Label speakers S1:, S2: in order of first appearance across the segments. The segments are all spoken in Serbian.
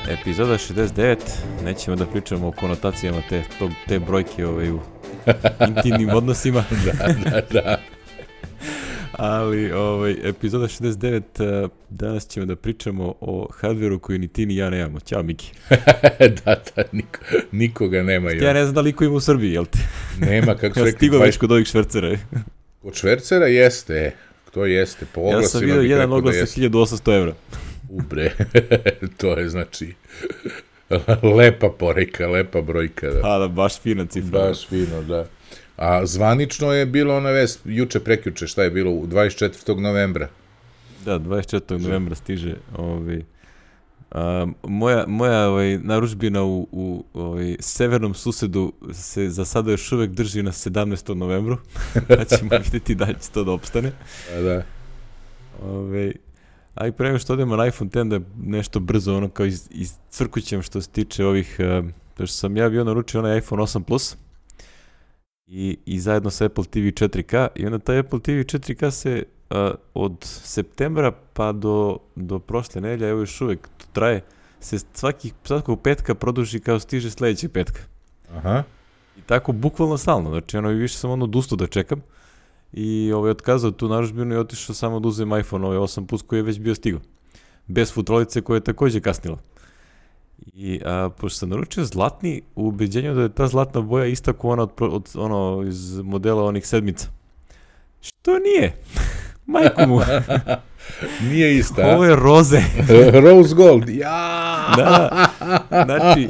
S1: Epizoda 69, nećemo da pričamo o konotacijama te brojke u intimnim odnosima.
S2: Da.
S1: Ali epizoda 69, danas ćemo da pričamo o hardveru koji ni ti ni ja nemamo. Ćao Miki.
S2: Da, nikoga nema.
S1: Ja ne znam da li ko ima u Srbiji, jel te?
S2: Nema, kako se rekli.
S1: Stigo već kod ovih švercera.
S2: Kod švercera jeste, to jeste. Po oglasima
S1: ja sam vidio jedan oglas sa 1800 evra.
S2: Ubre, to je znači lepa poreka, lepa brojka. Da.
S1: Da, baš fina cifra.
S2: Baš fino, da. A zvanično je bilo ona vest, prekjuče, šta je bilo, 24. novembra.
S1: Da, 24. novembra stiže. Moja narudžbina u severnom susedu se za sada još uvek drži na 17. novembru. Pa ćemo vidjeti da će to da opstane.
S2: Da.
S1: A i pre nego što odemo na iPhone X, da nešto brzo, ono kao iscrkućem što se tiče ovih, to što sam ja bio naručio onaj iPhone 8 Plus i zajedno sa Apple TV 4K, i onda taj Apple TV 4K se od septembra pa do prošle nedelje, evo još uvek to traje, se svakog petka produži kao stiže sledećeg petka.
S2: Aha.
S1: I tako bukvalno stalno, znači više sam odustao da čekam. I otkazao tu narudžbinu i otišao samo da uzem iPhone 8 Plus koji je već bio stigao. Bez futrolice koja je takođe kasnila. I pošto sam naručio zlatni, u ubeđenju da je ta zlatna boja ista kao ona iz modela onih sedmica. Što nije? Majku mu.
S2: Nije ista.
S1: Ovo je roze.
S2: Rose gold. Ja.
S1: Da. Znači,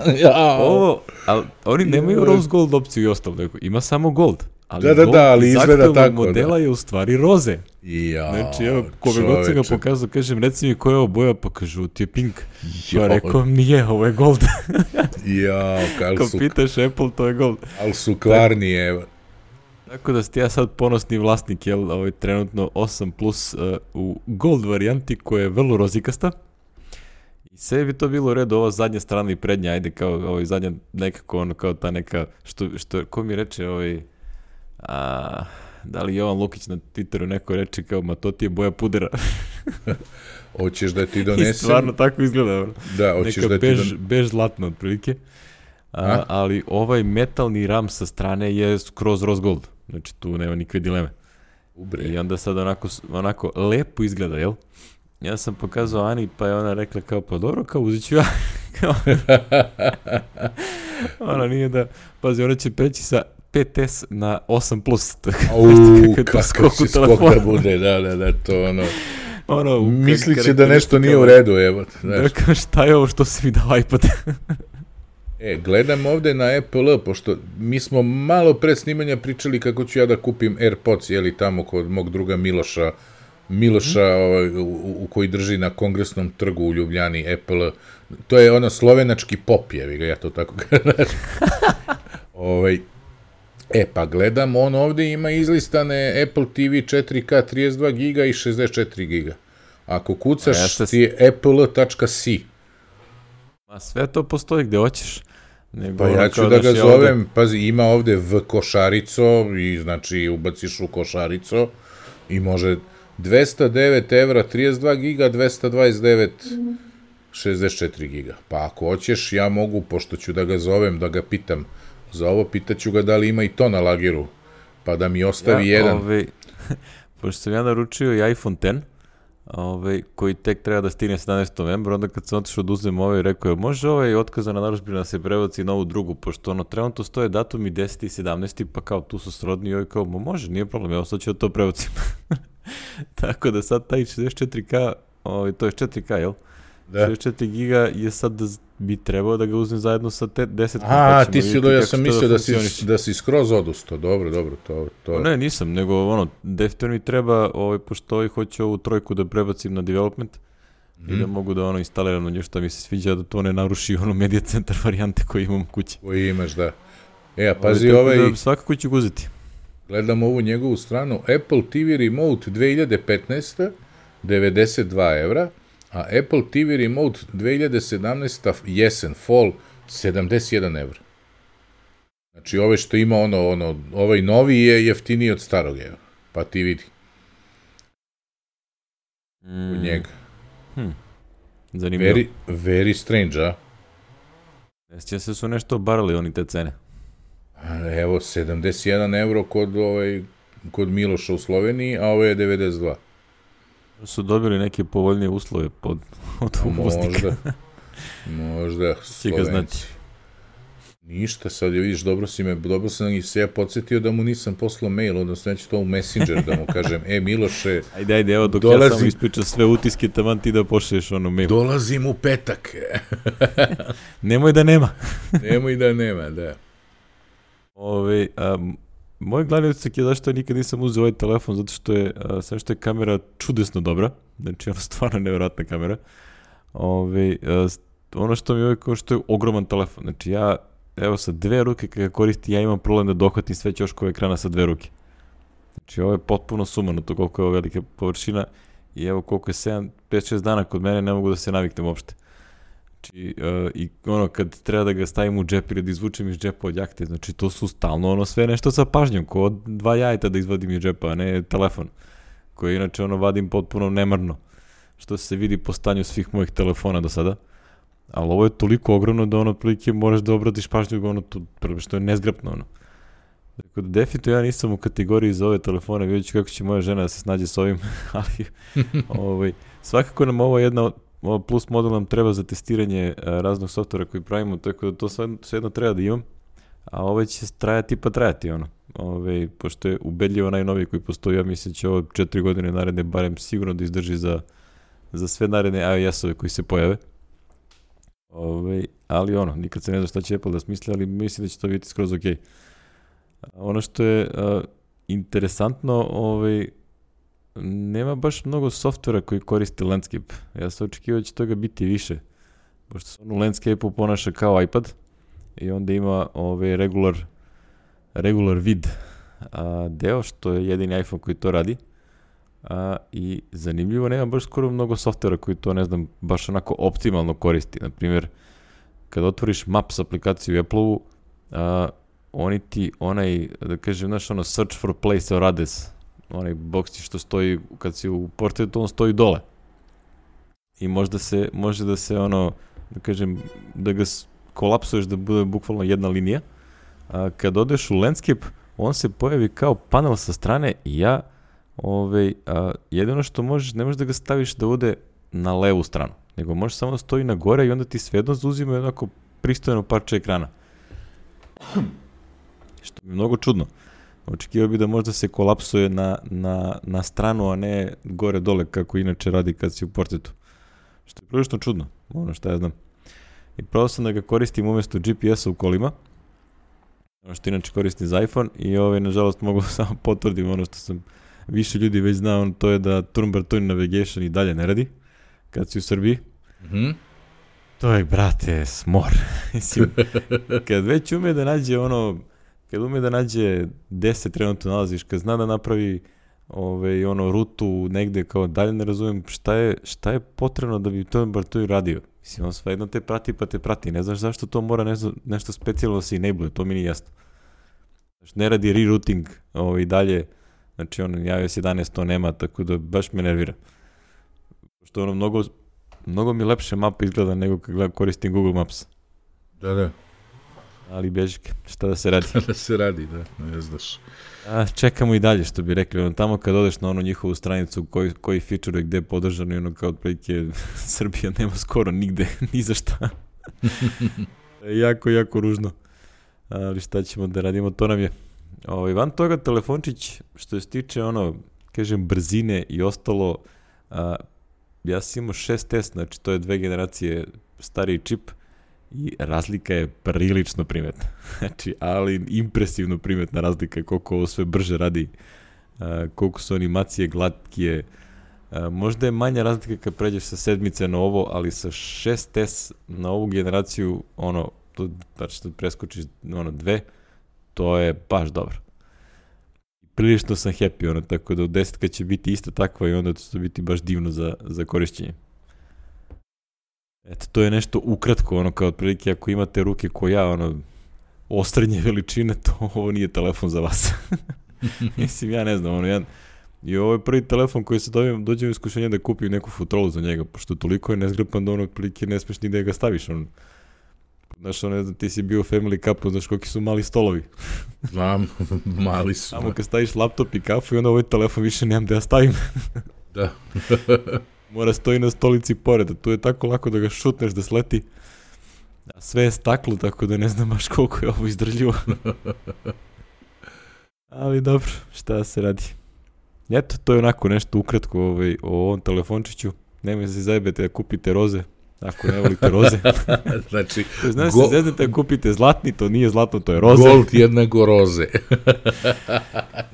S1: ovo, ali oni nemaju rose gold opciju i ostalo. Ima samo gold. Ali
S2: ali izgleda tako.
S1: Modela je u stvari roze.
S2: Ja,
S1: znači, evo, kome god sam ga pokazao, kažem, reci mi koja je ovo boja, pa kažu, ti je pink. Ja rekao, nije, ovo je gold. Ko pitaš Apple, to je gold.
S2: Ali su kvarni, evo.
S1: Tako da ste ja sad ponosni vlasnik, jel, trenutno 8 Plus u gold varijanti, koja je vrlo rozikasta. I sve bi to bilo u redu, ova zadnja strana i prednja, ajde, kao zadnja nekako, ono, kao ta neka, što ko mi reče, da li Jovan Lukić na Twitteru neko reče kao, ma to ti je boja pudera.
S2: Hoćeš da ti donesem?
S1: I stvarno tako izgleda.
S2: Da, hoćeš
S1: neka
S2: da ti
S1: bež zlatna otprilike. Ali ovaj metalni ram sa strane je skroz rose gold. Znači tu nema nikakve dileme.
S2: Ubre.
S1: I onda sad onako lepo izgleda, jel? Ja sam pokazao Ani, pa je ona rekla kao, pa dobro, kao uzit ću ja. Ona nije da, pazi, ona će preći sa 5S na 8 Plus.
S2: Kako si skok da bude, da, to ono mislit će da nešto nije u redu, evo.
S1: Da, šta je ovo što si mi dao iPad?
S2: Gledam ovde na Apple, pošto mi smo malo pre snimanja pričali kako ću ja da kupim AirPods, jeli tamo kod mog druga Miloša u koji drži na Kongresnom trgu u Ljubljani Apple. To je ono slovenački pop, jevi ga, ja to tako kažem. Pa gledam, on ovde ima izlistane Apple TV 4K 32 giga i 64 giga. Ako kucaš ti je apple.c.
S1: Ma sve to postoji gde hoćeš.
S2: Pa ja ću da ga zovem, pazi, ima ovde v košarico i znači ubaciš u košarico i može 209 evra 32 giga, 229 64 giga. Pa ako hoćeš, ja mogu, pošto ću da ga zovem, da ga pitam za ovo, pitaću ga da li ima i to na lageru, pa da mi ostavi jedan.
S1: Pošto sam ja naručio i iPhone X, koji tek treba da stigne 17. novembra, onda kad sam otišao da uzem rekao je, može otkazana narudžbina da se prebaci na ovu drugu, pošto trenutno stoje datumi 10. i 17. pa kao tu su srodni, i kao, može, nije problem, evo sad ću da to prebacim. Tako da sad taj 64K, to je 4K, jel? Da. 64 giga je sad da bi trebao da ga uzmem zajedno sa 10.
S2: Ti si ja sam mislio da si skroz odustao, dobro, to.
S1: Ne, nisam, nego definitivno mi treba, pošto hoću ovu trojku da prebacim na development i da mogu da instaliram na nju što mi se sviđa, da to ne naruši Media Center varijante koje imam kući.
S2: Koji imaš, da. Pazi
S1: da svakako ću ga uzeti.
S2: Gledam ovu njegovu stranu, Apple TV Remote 2015, 92 evra, a Apple TV Remote 2017 jesen, fall, 71 evra. Znači, ovaj što ima ovaj novi je jeftiniji od starog, evo. Pa ti vidi. U njega.
S1: Zanimljivo.
S2: Very strange, a?
S1: Sjeća se su nešto obarali oni te cene.
S2: Evo, 71 euro kod Miloša u Sloveniji, a ovo je 92.
S1: Su dobili neke povoljnije uslove od uvoznika.
S2: Možda, Slovenci. Ništa, sad je, vidiš, dobro sam i se ja podsjetio da mu nisam poslao mail, odnosno neću to u Messenger da mu kažem, Miloše,
S1: Ajde, evo, dok ja samo ispričam sve utiske, taman ti da pošliješ mail.
S2: Dolazim u petak.
S1: Nemoj da nema.
S2: Nemoj da nema, da.
S1: Moj glavni utisak je zašto ja nikad nisam uzeo ovaj telefon, zato što je, sve što je kamera čudesno dobra, znači ono stvarno nevjerojatna kamera. Ono što mi je uvijek što je ogroman telefon, znači ja, evo sa 2 ruke kad ga koristim, ja imam problem da dohvatim sve ćoškove ekrana sa 2 ruke. Znači ovo je potpuno sumano to koliko je ovo velika površina i evo koliko je 5-6 dana kod mene ne mogu da se naviknem uopšte. Znači, i ono kad treba da ga stavim u džep ili da izvučem iz džepa od jahte, znači to su stalno ono sve nešto sa pažnjom, ko od 2 jajeta da izvadim iz džepa, a ne telefon, koji inače ono vadim potpuno nemarno, što se vidi po stanju svih mojih telefona do sada. Ali ovo je toliko ogromno da ono otprilike moraš da obratiš pažnju, ono to prvo što je nezgrapno ono. Dakle, definitivno ja nisam u kategoriji za ove telefone, vidjet ću kako će moja žena da se snađe s ovim, ali svakako nam ovo jedna plus model nam treba za testiranje raznog softvera koji pravimo, tako da to svejedno treba da imam, a ovo će trajati ono. Pošto je ubedljivo najnoviji koji postoji, ja mislim će ovo 4 godine naredne barem sigurno da izdrži za sve naredne iOS-ove koji se pojave. Ali ono, nikad se ne zna šta će Apple da smisli, ali mislim da će to biti skroz ok. Ono što je interesantno, nema baš mnogo softvera koji koriste Landscape. Ja sam očekivao da će toga biti više, pošto se on u Landscape-u ponaša kao iPad i onda ima regular vid deo, što je jedini iPhone koji to radi. I zanimljivo, nema baš skoro mnogo softvera koji to, ne znam, baš onako optimalno koristi. Naprimjer, kad otvoriš Maps aplikaciju u Apple-u, oni ti da kažem, znaš, search for place or address, onaj boks ti što stoji, kad si u portretu, on stoji dole. I može da se da kažem, da ga kolapsuješ da bude bukvalno jedna linija. Kad odeš u Landscape, on se pojavi kao panel sa strane i ja jedino što možeš, ne možeš da ga staviš da ode na levu stranu, nego možeš samo da stoji na gore i onda ti svejedno zauzima jednako pristojno parče ekrana. Što mi je mnogo čudno. Očekivao bi da možda se kolapsuje na stranu, a ne gore-dole kako inače radi kad si u portretu. Što je prilično čudno, ono što ja znam. I pravo sam da ga koristim umjesto GPS-a u kolima, ono što inače koristim za iPhone i nažalost mogu samo potvrdim ono što sam više ljudi već zna, to je da turn-by-turn navigation i dalje ne radi kad si u Srbiji.
S2: Mm-hmm.
S1: To je, brate, smor. Kad već ume da nađe kad ume da nađe 10 trenutno nalaziš, kad zna da napravi rutu negde kao dalje, ne razumijem šta je potrebno da bi turn-by-turn radio. Mislim, on svejedno te prati pa te prati. Ne znaš zašto to mora nešto specijalno da se enable, to mi nije jasno. Ne radi rerouting i dalje. Znači, iOS 11 to nema, tako da baš me nervira. Što mnogo mi lepše mapa izgleda nego kad koristim Google Maps.
S2: Da.
S1: Ali bežike, šta da se radi?
S2: Šta da se radi, da, ne znaš.
S1: Čekamo i dalje, što bi rekli. Tamo kad odeš na njihovu stranicu koji feature gde je podržano, kao otprilike Srbija nema skoro nigde, ni za šta. Jako, jako ružno. Ali šta ćemo da radimo, to nam je. Van toga telefončić, što se tiče kažem, brzine i ostalo, ja sam imao 6S, znači to je 2 generacije stariji čip i razlika je prilično primetna. Znači, ali impresivno primetna razlika koliko ovo sve brže radi, koliko su animacije glatkije. Možda je manja razlika kad pređeš sa 7 na ovo, ali sa 6S na ovu generaciju, znači da preskočiš 2, to je baš dobro. Prilično sam happy, tako da u 10 će biti ista takva i onda će to biti baš divno za korišćenje. Eto, to je nešto ukratko, kao otprilike ako imate ruke ko ja, ostrednje veličine, to ovo nije telefon za vas. Mislim, ja ne znam, i ovo je prvi telefon koji se dođem u iskušenje da kupim neku futrolu za njega, pošto toliko je nezgrapan da otprilike ne smeš ni da ga staviš, Znaš, ne znam, ti si bio Family Cup, znaš koliki su mali stolovi.
S2: Znam, mali su.
S1: Samo kad staviš laptop i kafu i onda ovaj telefon više nemam da ja stavim.
S2: Da.
S1: Mora stoji na stolici pored, a tu je tako lako da ga šutneš da sleti. A sve je staklo, tako da ne znam baš koliko je ovo izdržljivo. Ali dobro, šta se radi. Eto, to je onako nešto ukratko o ovom telefončiću. Nemoj se zajebete da kupite roze, ako ne volite roze.
S2: Znači,
S1: znaš se zeznete da kupite zlatni, to nije zlatno, to je roze.
S2: Gold jednako roze.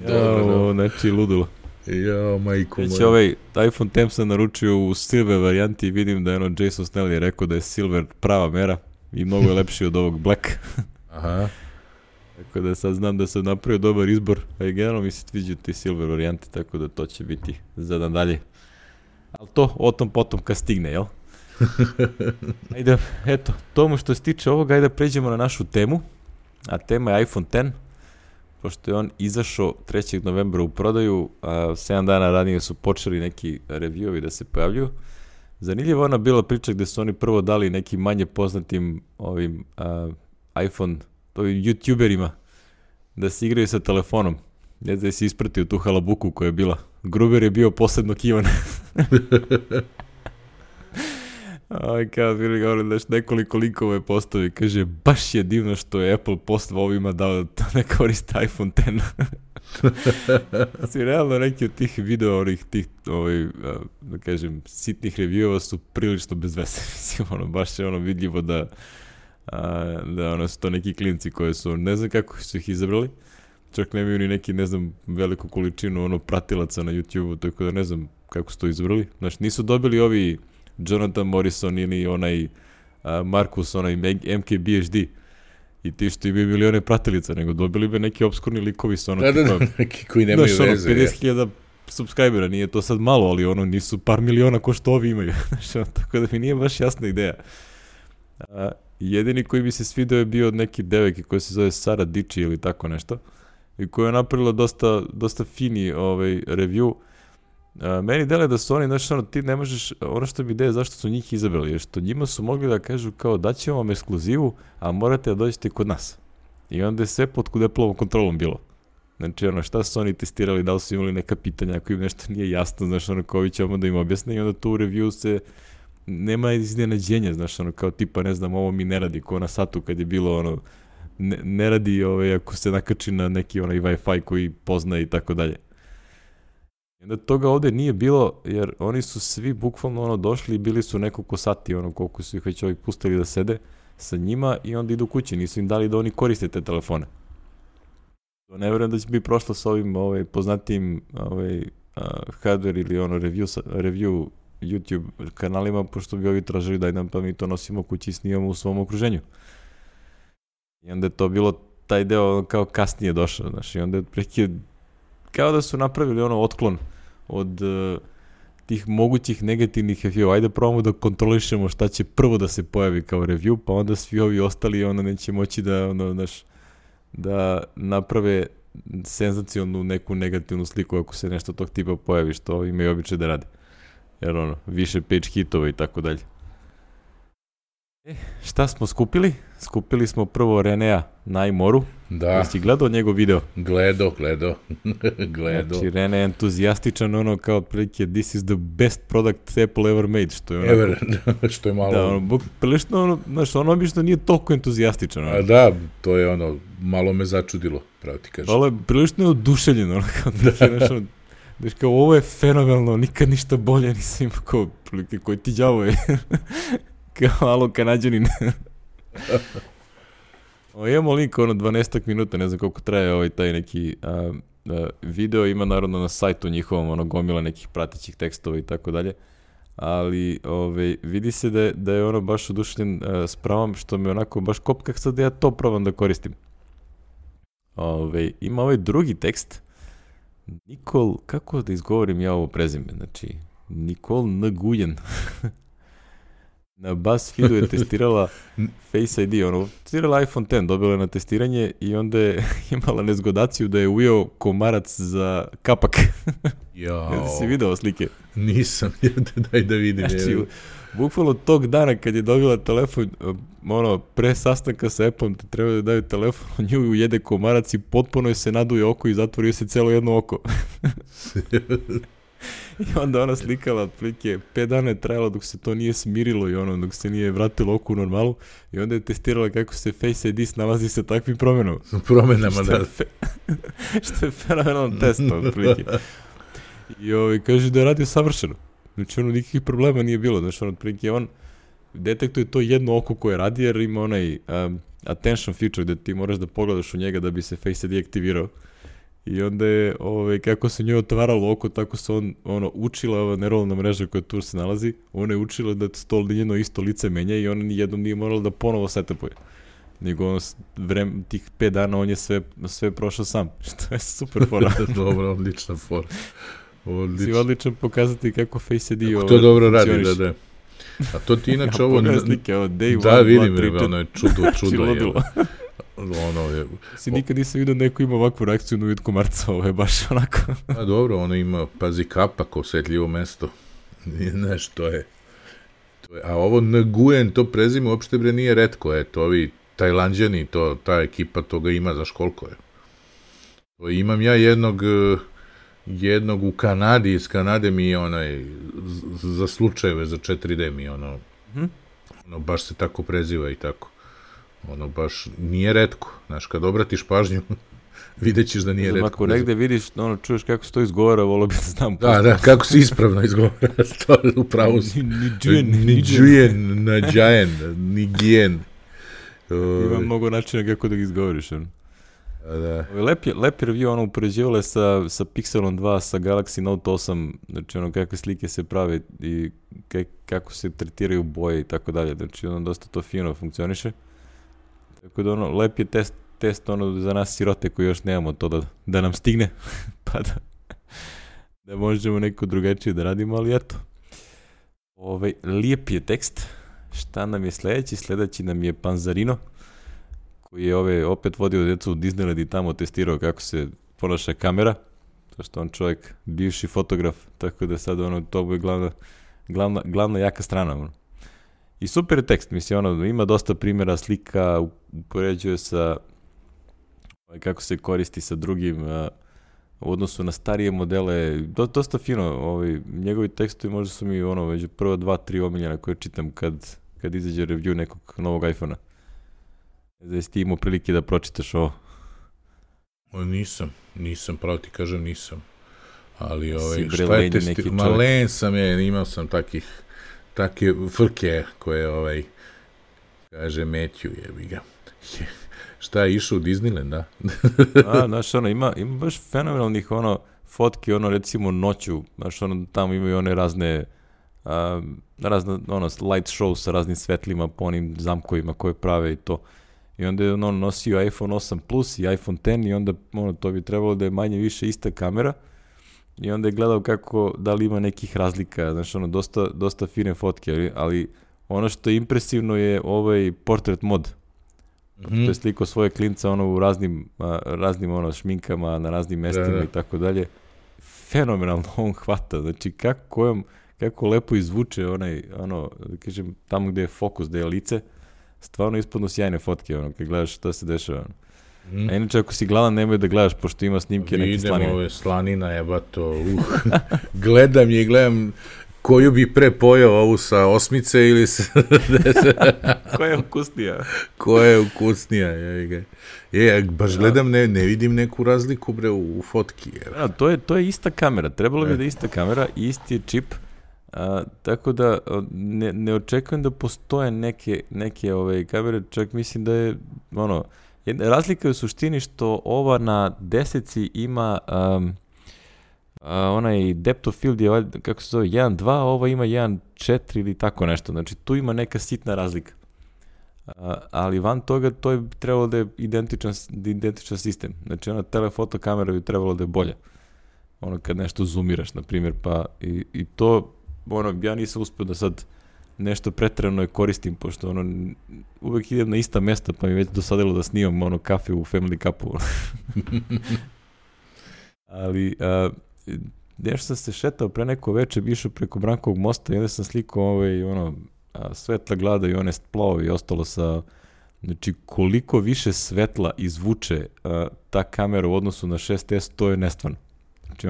S1: Dobro, znači ludilo.
S2: Ja, majko moja.
S1: Znači, iPhone X sam naručio u silver varijanti i vidim da je Jason Snell je rekao da je silver prava mera i mnogo je lepši od ovog black.
S2: Aha.
S1: Tako da sad znam da sam napravio dobar izbor, a i generalno mi se sviđaju ti silver varijanti, tako da to će biti za dan dalje. Ali to, o tom potom kad stigne, jel? Ajde, eto, tomu što se tiče ovoga, ajde pređemo na našu temu, a tema je iPhone X, pošto je on izašao 3. novembra u prodaju, a 7 dana ranije su počeli neki reviewovi da se pojavljuju. Zanimljiva ona bila priča gde su oni prvo dali nekim manje poznatim iPhone YouTuberima da se igraju sa telefonom. Ne znam da si ispratio tu halabuku koja je bila. Gruber je bio posledno kivan. Kao bili govorili da nekoliko linkova je postavi. Kaže, baš je divno što je Apple poslao ovima da ne koriste iPhone X. Svi realno neki od tih video, da kažem, sitnih reviewova su prilično bez veze. Mislim, baš je vidljivo da su to neki klinci koji su, ne znam kako su ih izabrali, čak nemaju ni neki, ne znam, veliku količinu pratilaca na YouTube-u, tako da ne znam kako su to izabrali. Znači, nisu dobili ovi Jonathan Morrison ili onaj Marcus, onaj MKBHD i ti što imaju milione pratilica, nego dobili bi neki obskurni likovi sa
S2: neki koji nemaju veze.
S1: 50.000 subscribera, nije to sad malo, ali nisu par miliona ko što ovi imaju. Tako da mi nije baš jasna ideja. Jedini koji bi se svidio je bio od neke devojke koja se zove Sara Dici ili tako nešto i koja je napravila dosta fini review. Meni dele da su oni, znači ti ne možeš, ono što mi ideje zašto su njih izabrali, jer što njima su mogli da kažu kao daćemo vam ekskluzivu, a morate da dođete kod nas. I onda je sve pod Appleovom kontrolom bilo. Znači šta su oni testirali, da li su imali neka pitanja, ako im nešto nije jasno, znaš kao vi ćemo da im objasne i onda tu u review se nema iznenađenja, znaš, kao tipa, ne znam, ovo mi ne radi, ko na satu kad je bilo, ne radi ako se nakači na neki Wi-Fi koji poznaje i tako dalje. I onda toga ovde nije bilo, jer oni su svi bukvalno došli i bili su nekoliko sati, koliko su ih već pustili da sede sa njima i onda idu kući, nisu im dali da oni koriste te telefone. Ne verujem da će biti prošlo sa ovim poznatijim hardware ili review YouTube kanalima, pošto bi ovi tražili daj nam pa mi to nosimo kući i snimamo u svom okruženju. I onda je to bilo taj deo kao kasnije došao, znaš, i onda je kao da su napravili otklon od tih mogućih negativnih review. Ajde probamo da kontrolišemo šta će prvo da se pojavi kao review, pa onda svi ovi ostali neće moći da naprave senzacionalnu neku negativnu sliku ako se nešto tog tipa pojavi, što imaju običaj da rade. Jer više page hitova i tako dalje. Šta smo skupili? Skupili smo prvo Renea na iMoru.
S2: Da.
S1: Jesi gledao njegov video?
S2: Gledao.
S1: Znači, Rene je entuzijastičan, kao otprilike this is the best product Apple ever made, što je
S2: što je malo...
S1: Da, prilično, znaš, obično nije toliko entuzijastičan.
S2: A da, to je malo me začudilo, pravo ti kažem.
S1: Ali prilično je oduševljeno, znaš, kao, ovo je fenomenalno, nikad ništa bolje nisam imao, kao, prilike, koji ti đavo je, kao, alo, Kanadjanin. Imamo link, 12 minuta, ne znam koliko traje taj neki video, ima naravno na sajtu njihovom, gomila nekih pratećih tekstova i tako dalje, ali vidi se da je baš oduševljen s pravom, što me baš kopka sad da ja to probam da koristim. Ima drugi tekst, Nikol, kako da izgovorim ja ovo prezime, znači, Nikol Nguyen. Na BuzzFeedu je testirala Face ID, testirala iPhone X, dobila je na testiranje i onda je imala nezgodaciju da je ujeo komarac za kapak.
S2: Jao.
S1: Si video slike?
S2: Nisam, daj da vidim.
S1: Znači, bukvalno tog dana kad je dobila telefon, pre sastanka sa Apple-om te treba da daju telefon, nju ujede komarac i potpuno je se naduje oko i zatvorio se celo jedno oko. I onda ona slikala, otprilike, 5 dana je trajalo dok se to nije smirilo i dok se nije vratilo oko u normalu i onda je testirala kako se Face ID snalazi sa takvim promenama.
S2: Promenama, da.
S1: Što je fenomenalan test, otprilike. I kaže da je radio savršeno. Znači, nikakvih problema nije bilo. Znači, otprilike, on detektuje to jedno oko koje radi, jer ima onaj attention feature gde ti moraš da pogledaš u njega da bi se Face ID aktivirao. I onda je, kako se njoj otvaralo oko, tako se učila ova neuralna mreža koja tu se nalazi, ona je učila da njeno isto lice menja i ona nijednom nije morala da ponovo setupuje. Nego tih 5 dana on je sve prošao sam, što je super fora.
S2: Dobro, odlična fora.
S1: Si odličan pokazati kako Face ID
S2: to dobro radi, da. A to ti inače ovo...
S1: Pogledaj slike, day 1, 2, 3, 4.
S2: Da, vidim, ono je čudo je.
S1: Si nikad nisam vidio neko ima ovakvu reakciju na vid komarca, ovo je baš onako.
S2: A dobro, ono ima, pazi, kapak, osjetljivo mesto. Nešto je. A ovo Nguyen, to prezime uopšte nije retko, to ovi Tajlanđani, ta ekipa toga ima, znaš koliko je. To imam ja jednog u Kanadi, iz Kanade mi je za slučajeve, za 4D mi je baš se tako preziva i tako. Baš nije retko. Znaš, kad obratiš pažnju, vidjet ćeš da nije retko.
S1: Ako negde vidiš, čuješ kako se to izgovara, volio bi da znam.
S2: Da, kako se ispravno izgovara. To je upravo si. Niđujen, nađajen, nigijen.
S1: Ima mnogo načina kako da ga izgovoriš.
S2: Da.
S1: Lepi review, upoređivale sa Pixelom 2, sa Galaxy Note 8, znači kakve slike se prave i kako se tretiraju boje i tako dalje. Znači, dosta to fino funkcioniše. Tako da, lep je test za nas sirote koji još nemamo to da nam stigne, pa da možemo neko drugačije da radimo, ali eto. Lijep je tekst. Šta nam je sledeći? Sledeći nam je Panzarino, koji je opet vodio djecu u Disneyland i tamo testirao kako se ponaša kamera, to što on čovjek, bivši fotograf, tako da sad to je glavna jaka strana. I super je tekst, mislim, ima dosta primjera slika, upoređuje sa kako se koristi sa drugim u odnosu na starije modele, dosta fino, njegovi tekstovi možda su mi među prva 2-3 omiljena koje čitam kad izađe review nekog novog iPhone-a. Da si ti imao prilike da pročitaš ovo?
S2: Nisam, pravo ti kažem nisam. Ali šta je malen sam imao sam takve frke koje kaže Matthew jebi ga. Šta je išao u Disneyland, da?
S1: Znaš, ima baš fenomenalnih fotki, recimo noću, znaš, tamo imaju one razne light show sa raznim svetlima po onim zamkovima koje prave i to. I onda je on nosio iPhone 8 Plus i iPhone X i onda to bi trebalo da je manje više ista kamera i onda je gledao da li ima nekih razlika, znaš, dosta fine fotke, ali ono što je impresivno je portrait mod. To je sliko svoje klinca u raznim šminkama, na raznim mestima i tako dalje. Fenomenalno on hvata, znači kako lepo izvuče da kažem, tamo gde je fokus, gde je lice, stvarno ispadnu sjajne fotke, kad gledaš šta se dešava. A inače, ako si gladan, nemoj da gledaš, pošto ima snimke neke slanine.
S2: Idem ove slanina, jebato, gledam je i gledam koju bi pre pojao, ovu sa osmice ili sa...
S1: Koja je ukusnija?
S2: Koja je ukusnija, baš gledam, ne vidim neku razliku, bre, u fotki.
S1: To je ista kamera, trebalo bi da je ista kamera, isti je čip, tako da ne očekujem da postoje neke kamere, čak mislim da je, razlika je u suštini što ova na 10 ima onaj depth of field je, kako se zove, 1.2, ova ima 1.4 ili tako nešto, znači tu ima neka sitna razlika. Ali van toga to je trebalo da je identičan sistem, znači ona telefoto kamera bi trebalo da je bolja. Kad nešto zoomiraš, na primjer, pa i to, ja nisam uspio da sad nešto preterano je koristim, pošto ono, uvek idem na ista mesta, pa mi već dosadilo da snimam ono kafe u Family Cupu. Ali, nešto sam se šetao pre neko veče, bi išao preko Brankovog mosta i onda sam slikao svetla glada i one splovi i ostalo sa, znači koliko više svetla izvuče ta kamera u odnosu na 6S, to je nestvarno. Znači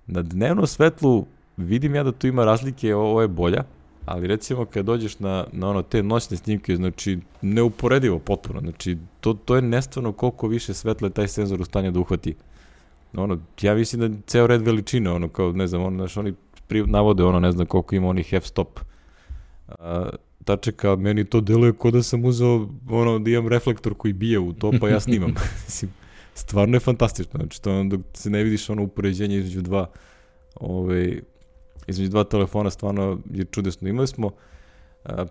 S1: na dnevno svetlu vidim ja da tu ima razlike, ovo je bolja, ali recimo kad dođeš na te noćne snimke, znači neuporedivo potpuno, znači to je nestvarno koliko više svetla je taj senzor u stanju da uhvati. Ja mislim da ceo red veličine, kao, ne znam, oni navode, ne znam koliko ima onih f-stop tačaka, meni to deluje kao da sam uzeo, da imam reflektor koji bije u to, pa ja snimam. Stvarno je fantastično, znači to dok se ne vidiš upoređenje između dva telefona, stvarno je čudesno. Imali smo,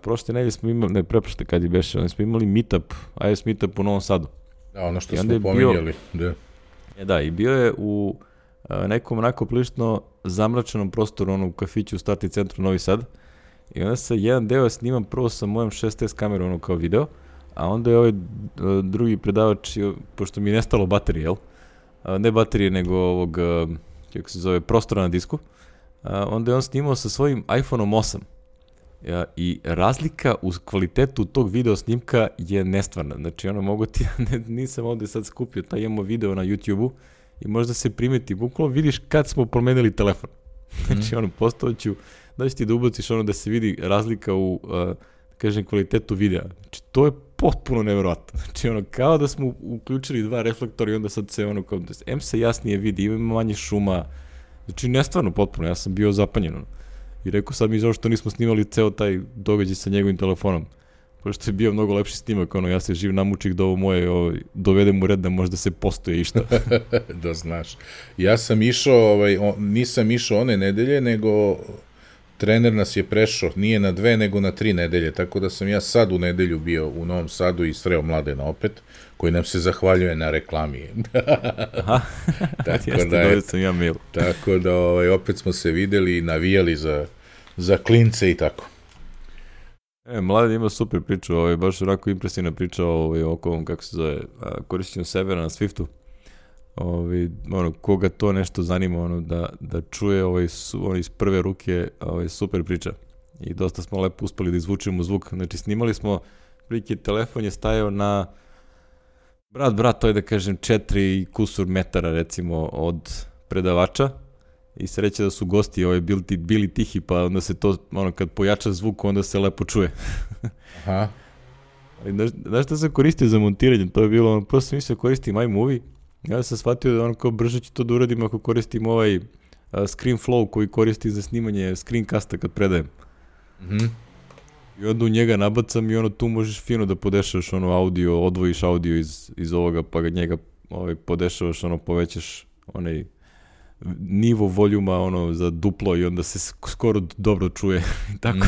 S1: prošle nedelje smo imali, ne preprošle kad je beše, smo imali meetup, iOS meetup u Novom Sadu.
S2: Da, ono što smo pominjali, da.
S1: Da, i bio je u nekom onako prilično zamračenom prostoru, u kafiću u Startni centru Novi Sad. I onda se jedan deo snimam prvo sa mojom 6S kamerom kao video, a onda je ovaj drugi predavač, pošto mi je nestalo baterije, jel? Ne baterije, nego ovog, kako se zove, prostora na disku. Onda je on snimao sa svojim iPhone-om 8. I razlika u kvalitetu tog video snimka je nestvarna. Znači, mogu ti, nisam ovde sad skupio, imamo video na YouTube-u i možda se primeti, bukvalno vidiš kad smo promenili telefon. Znači, postavit ću, da će ti da ubaciš da se vidi razlika u, kvalitetu videa. Znači, to je potpuno neverovatno. Znači, kao da smo uključili dva reflektora i onda sad se kao, M se jasnije vidi, ima manje šuma. Znači, nestvarno potpuno, ja sam bio zapanjen. I rekao sad mi zašto nismo snimali ceo taj događaj sa njegovim telefonom. Pošto je bio mnogo lepši snimak, ja se živ namučih da ovo moje dovedem u red da možda se postoje išta.
S2: Da znaš. Ja sam išao, nisam išao one nedelje, nego trener nas je prešao, nije na 2, nego na 3 nedelje, tako da sam ja sad u nedelju bio u Novom Sadu i sreo Mladena opet, koji nam se zahvaljuje na reklami.
S1: Aha, jeste, sam ja mail.
S2: Tako da opet smo se videli i navijali za klince i tako.
S1: Mladen ima super priču, baš onako impresivna priča oko ovom, kako se zove, korišćenju servera na Swiftu. Koga to nešto zanima, da čuje iz prve ruke super priča. I dosta smo lepo uspeli da izvučemo zvuk. Znači, snimali smo, prilike, telefon je stajao na brat, to je da kažem 4 kusur metara recimo od predavača i sreće da su gosti bili tihi, pa onda se to, kad pojača zvuk, onda se lepo čuje.
S2: Aha.
S1: Znaš šta sam koristio za montiranje? To je bilo, prosto sam mislio koristim iMovie. Ja sam shvatio da kao brže ću to da uradim ako koristim ScreenFlow koji koristi za snimanje screencasta kad predajem. I onda u njega nabacam i tu možeš fino da podešavaš audio, odvojiš audio iz ovoga, pa ga njega podešavaš, povećaš onaj nivo voljuma za duplo i onda se skoro dobro čuje. Tako.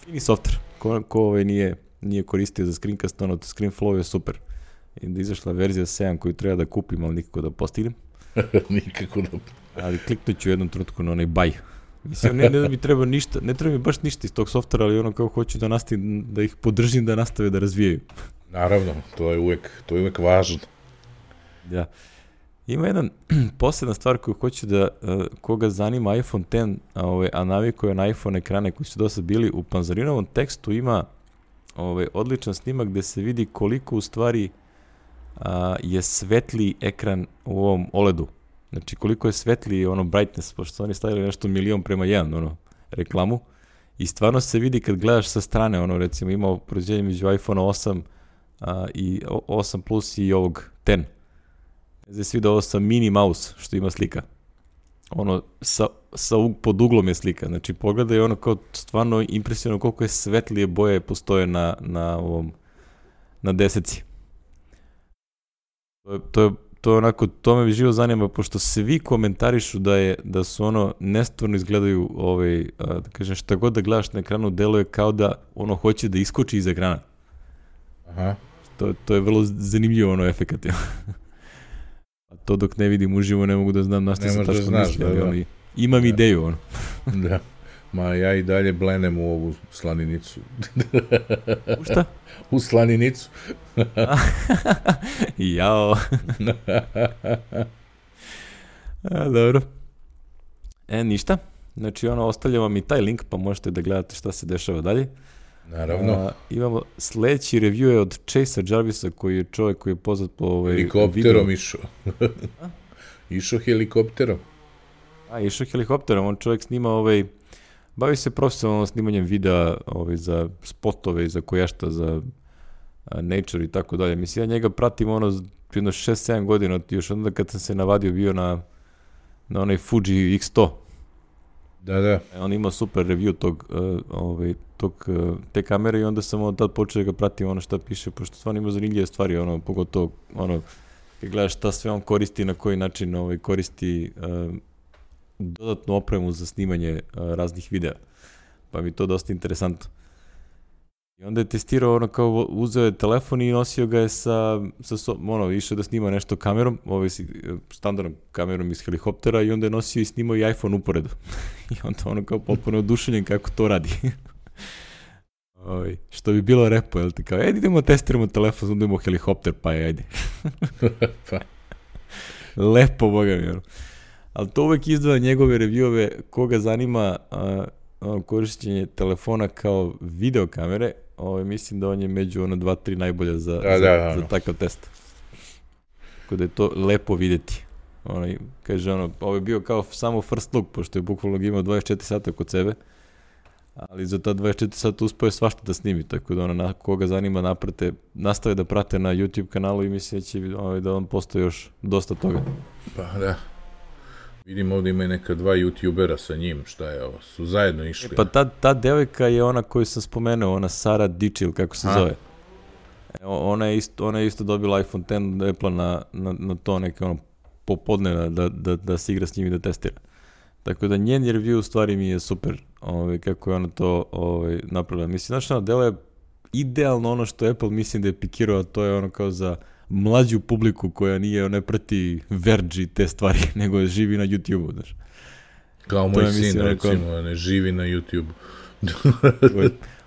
S1: Fini software. Ko nije koristio za screencast, ScreenFlow je super. I da izašla verzija 7 koju treba da kupim, ali nikako da postignem.
S2: Nikako da...
S1: Ali kliknut ću u jednom trenutku na onaj buy. Mislim, ne da mi treba ništa, ne treba mi baš ništa iz tog softvera, ali kao hoću da ih podržim da nastave da razvijaju.
S2: Naravno, to je uvek važno.
S1: Da. Ima jedan posebna stvar koju hoću da, koga zanima iPhone X, a navikuje na iPhone ekrane koji su dosta bili, u Panzarinovom tekstu ima odličan snimak gde se vidi koliko u stvari je svetliji ekran u ovom OLED-u. Znači, koliko je svetliji brightness, pošto su oni stavili nešto 1:1 reklamu. I stvarno se vidi kad gledaš sa strane, recimo ima prođenje među iPhone 8 i 8 Plus i ovog X. Zdaj se vidi ovo sa mini mouse, što ima slika. Pod uglom je slika. Znači, pogledaj kao stvarno impresivno koliko je svetlije boje postoje na deseci. To je onako, to me živo zanima, pošto svi komentarišu da su nestvarno izgledaju, da kažem, šta god da gledaš na ekranu, deluje kao da hoće da iskoči iz ekrana.
S2: Aha.
S1: To je vrlo zanimljivo efekat. A to dok ne vidim uživo ne mogu da znam na što se tačno misli. Imam ideju.
S2: Da. Ma ja i dalje blenem u ovu slaninicu.
S1: U šta?
S2: U slaninicu.
S1: Jao. Dobro. Ništa. Znači, ostavljam vam i taj link, pa možete da gledate šta se dešava dalje.
S2: Naravno.
S1: Imamo sledeći review je od Chase Jarvisa, koji je čovjek koji je poznat po
S2: helikopterom išao. Išao helikopterom.
S1: Išao helikopterom. On čovjek snima bavi se profesionalno snimanjem videa za spotove i za koješta, za Nature i tako dalje. Mislim, ja njega pratim jedno 6-7 godina, još onda kad sam se navadio bio na onaj Fuji X100.
S2: Da.
S1: On ima super review te kamere i onda sam od tad počeo da ga pratim šta piše, pošto stvarno ima zanimljive stvari, pogotovo kad gledaš šta sve on koristi, na koji način koristi dodatnu opremu za snimanje raznih videa. Pa mi to dosta interesantno. I onda je testirao kao uzeo je telefon i nosio ga je išao da snima nešto kamerom, standardnom kamerom iz helikoptera i onda je nosio i snimao i iPhone uporedu. I onda kao potpuno oduševljen kako to radi. Što bi bilo repo, jel ti kao, idemo testiramo telefon, onda imamo helikopter, pa ajde. Lepo, boga mi. Ali to uvek izdvaja njegove reviewove, koga zanima korišćenje telefona kao videokamere, mislim da on je među 2-3 najbolja za takav test. Tako da je to lepo vidjeti. Kaže, ovo je bio kao samo first look, pošto je bukvalno imao 24 sata kod sebe, ali za ta 24 sata uspio je svašta da snimi, tako da koga zanima nastave da prate na YouTube kanalu i mislim da će da on postoji još dosta toga.
S2: Pa da. Vidim ovdje ima neka 2 youtubera sa njim, šta je ovo, su zajedno išli.
S1: Pa ta devojka je ona koju sam spomenuo, ona Sara Dičil, kako se zove. Ona je isto dobila iPhone X Apple na to neke popodne da se igra s njim i da testira. Tako da njen review u stvari mi je super, kako je ona to napravila. Mislim, znaš, delo je idealno ono što Apple mislim da je pikirao, a to je kao za mlađu publiku koja ne prati Verge i te stvari, nego živi na YouTube-u, znaš.
S2: Kao moj sin, recimo, ne živi na YouTube-u.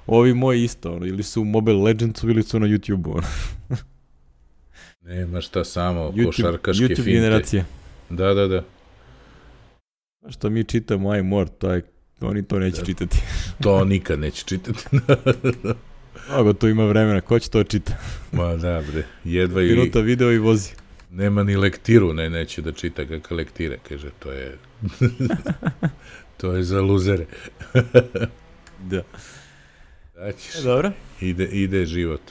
S1: Ovi moji isto, ili su u Mobile Legendsu ili su na YouTube-u.
S2: Nema šta samo, košarkaške
S1: YouTube
S2: finte.
S1: generacije.
S2: Da.
S1: Što mi čitamo iMore, oni to neće čitati.
S2: To nikad neće čitati.
S1: Mnogo tu ima vremena, ko će to čita?
S2: Ma da, bre, jedva i...
S1: Minuta video i vozi.
S2: Nema ni lektiru, neće da čita kakve lektire, kaže, to je... to je za luzere.
S1: Da.
S2: Dobro. Ide život.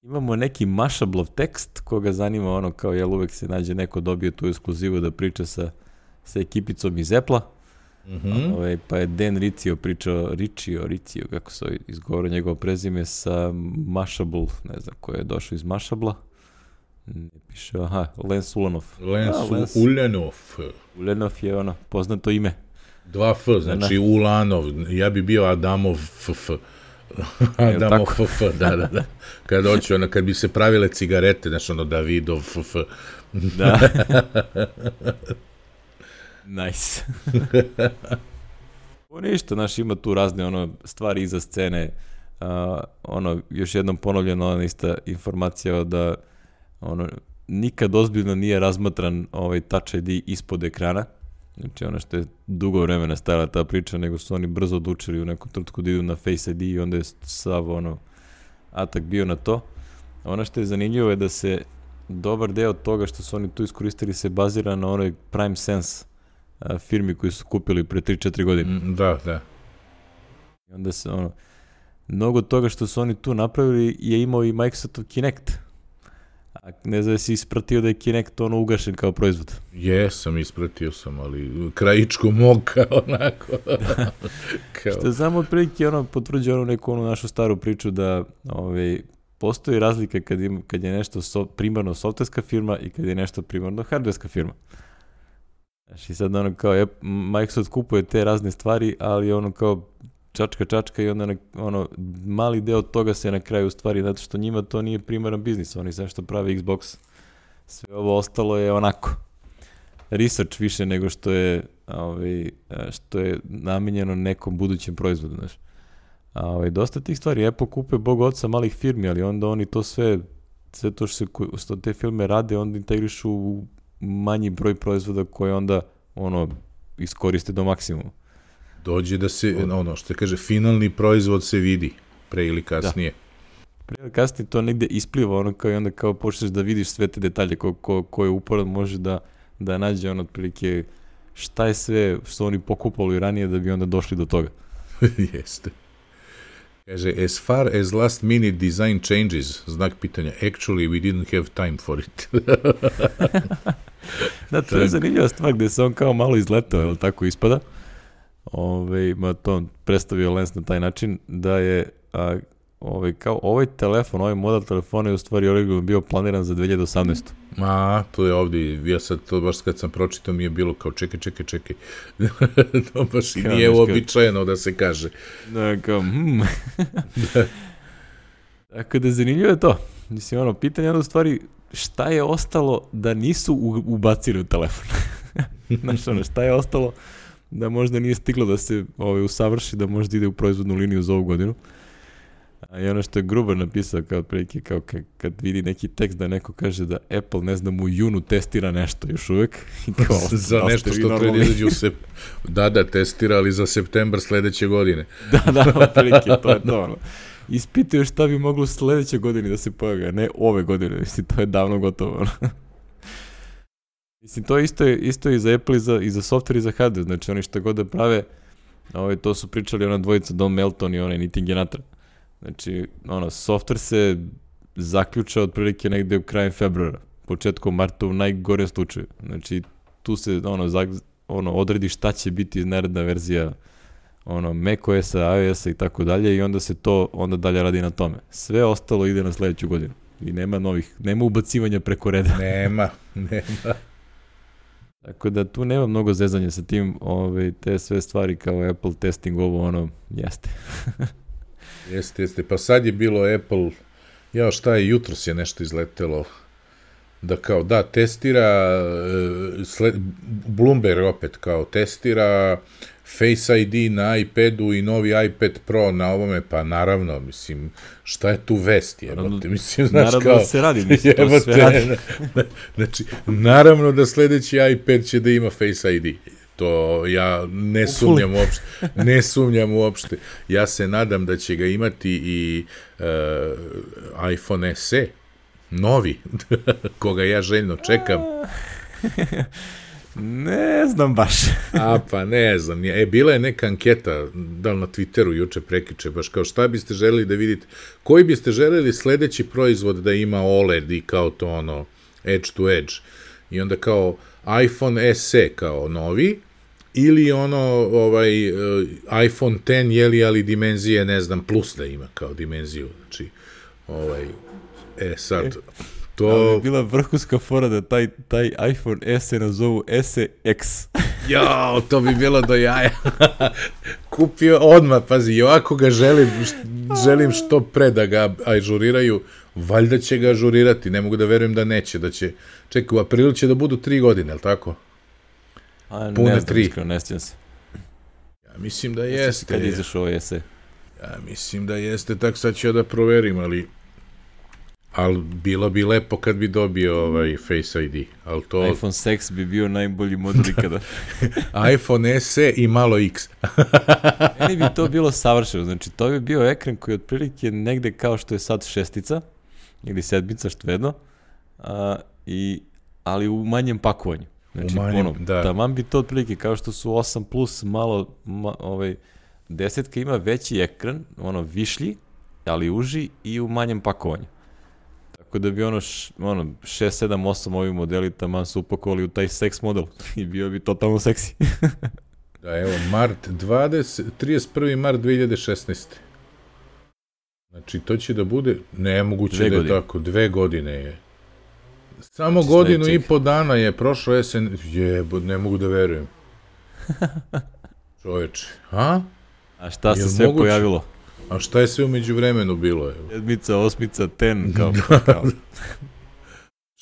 S1: Imamo neki Mashablov tekst, koga zanima kao, uvek se nađe neko dobio tu ekskluzivu da priča sa ekipicom iz Apple-a. Pa je Dan Riccio pričao, Riccio, kako se izgovara njegovo prezime, sa Mashable, ne znam ko je došao iz Mashabla. Ne piše, Lens Ulanov.
S2: Lens Ulanov.
S1: Ulanov je poznato ime.
S2: 2 F, znači Ulanov, ja bi bio Adamov FF. Adamov FF, da. Kad hoću, kad bi se pravile cigarete, znači Davidov FF.
S1: Da. Nice. Ništa, ima tu razne stvari iza scene, još jednom ponovljeno ista informacija da nikad ozbiljno nije razmatran Touch ID ispod ekrana, znači što je dugo vremena stajala ta priča, nego su oni brzo odlučili u nekom trenutku da idu na Face ID i onda je sav atak bio na to. Ono što je zanimljivo je da se dobar deo toga što su oni tu iskoristili se bazira na onoj Prime Sense firmi koji su kupili pre 3-4 godine.
S2: Da.
S1: I onda se mnogo toga što su oni tu napravili je imao i Microsoftov Kinect. A ne znam da si ispratio da je Kinect ugašen kao proizvod.
S2: Jesam, ispratio sam, ali krajičko moka, onako.
S1: Što znam otprilike potvrđuje neku našu staru priču da postoji razlika kad je nešto primarno softverska firma i kad je nešto primarno hardverska firma. I sad kao Microsoft kupuje te razne stvari, ali kao čačka i onda mali deo toga se na kraju stvari, zato što njima to nije primaran biznis, oni sve što pravi Xbox, sve ovo ostalo je onako research više nego što je što je namenjeno nekom budućem proizvodu, znaš. Dosta tih stvari, Apple kupuje bog oca malih firmi, ali onda oni to sve to što te filme rade, onda integrišu u manji broj proizvoda koje onda iskoriste do maksimuma.
S2: Dođe da se, što kaže, finalni proizvod se vidi, pre ili kasnije.
S1: Da. Pre ili kasnije to negde ispliva, kao i onda kao počneš da vidiš sve te detalje koje uporad može da nađe otprilike šta je sve što oni pokupali ranije da bi onda došli do toga.
S2: Jeste. Kaže, as far as last minute design changes, znak pitanja, actually we didn't have time for it.
S1: Da, to je zanimljiva stvar gde se on kao malo izletao, jel tako ispada? To predstavio Lens na taj način da je kao ovaj telefon, ovaj model telefona je u stvari originalno bio planiran za 2018.
S2: To je ovdje, ja sad to baš kad sam pročitao mi je bilo kao čekaj. To baš i nije uobičajeno da se kaže.
S1: Da, kao, Tako da zanimljivo je to. Mislim, pitanje je u stvari šta je ostalo da nisu ubacili u telefon. Znaš, šta je ostalo da možda nije stiglo da se usavrši, da možda ide u proizvodnu liniju za ovu godinu. I što je Gruber napisao kao prilike, kao kad vidi neki tekst da neko kaže da Apple, ne znam, u junu testira nešto još uvek.
S2: Za nešto što treba izađe Da, testira, ali za septembar sledeće godine.
S1: Da, prilike, to je to. Ispitaju šta bi moglo sledeće godine da se pojavi, a ne ove godine. Mislim, to je davno gotovo. Mislim, to isto i za Apple i za software i za hardware. Znači, oni što god da prave, to su pričali ona dvojica, Don Melton i onaj Nitin Genatra. Znači, software se zaključa otprilike negde u krajem februara, početkom marta u najgorem slučaju. Znači, tu se odredi šta će biti naredna verzija macOS-a, iOS-a i tako dalje i onda se to dalje radi na tome. Sve ostalo ide na sledeću godinu i nema ubacivanja preko reda.
S2: Nema.
S1: Tako da tu nema mnogo zezanja sa tim, te sve stvari kao Apple testing jeste.
S2: Jeste. Pa sad je bilo Apple, jutros je nešto izletelo, da testira, Bloomberg opet kao testira Face ID na iPadu i novi iPad Pro na ovome, pa naravno, mislim, šta je tu vest, jebote, mislim, znaš,
S1: naravno da se radi, mislim, to sve radi.
S2: Znači, naravno da sledeći iPad će da ima Face ID. To ja ne sumnjam uopšte. Ja se nadam da će ga imati i iPhone SE, novi, koga ja željno čekam.
S1: Ne znam baš.
S2: Pa ne znam. Bila je neka anketa, da li na Twitteru juče prekjuče, baš kao šta biste želeli da vidite, koji biste želeli sledeći proizvod da ima OLED i kao to edge to edge. I onda kao iPhone SE kao novi, ili iPhone X, ali dimenzije, ne znam, plus da ima kao dimenziju. Znači, sad, to...
S1: Ali je bila vrhunska fora da taj iPhone SE nazovu SE-X.
S2: Jao, to bi bilo do jaja. Kupio odmah, pazi, ovako ga želim što pre da ga ažuriraju, valjda će ga ažurirati, ne mogu da verujem da neće, čekaj, u aprilu će da budu 3 godine, je li tako?
S1: Pune 3. Ne sjećam se.
S2: Ja mislim da jeste.
S1: Kad je izašao ovaj SE?
S2: Ja mislim da jeste, tako sad ću da proverim, ali bilo bi lepo kad bi dobio Face ID.
S1: iPhone 6 bi bio najbolji model ikada.
S2: iPhone SE i malo X.
S1: Meni bi to bilo savršeno. Znači, to bi bio ekran koji otprilike negde kao što je sad 6 ili 7, što jedno, ali u manjem pakovanju. Znači, taman bi to otprilike, kao što su 8 plus, malo, 10 ima veći ekran, višlji, ali uži i u manjem pakovanju. Tako da bi 6, 7, 8 ovi modeli taman su upakovali u taj seks model i bio bi totalno seksi.
S2: Da, evo, 31. mart 2016. Znači, to će da bude, nemoguće da je tako, 2 godine je. Samo godinu i po dana je prošlo ne mogu da verujem. Čoveče, a?
S1: A šta se sve pojavilo?
S2: A šta je sve umeđu vremenu bilo?
S1: 7, 8, 10, kao.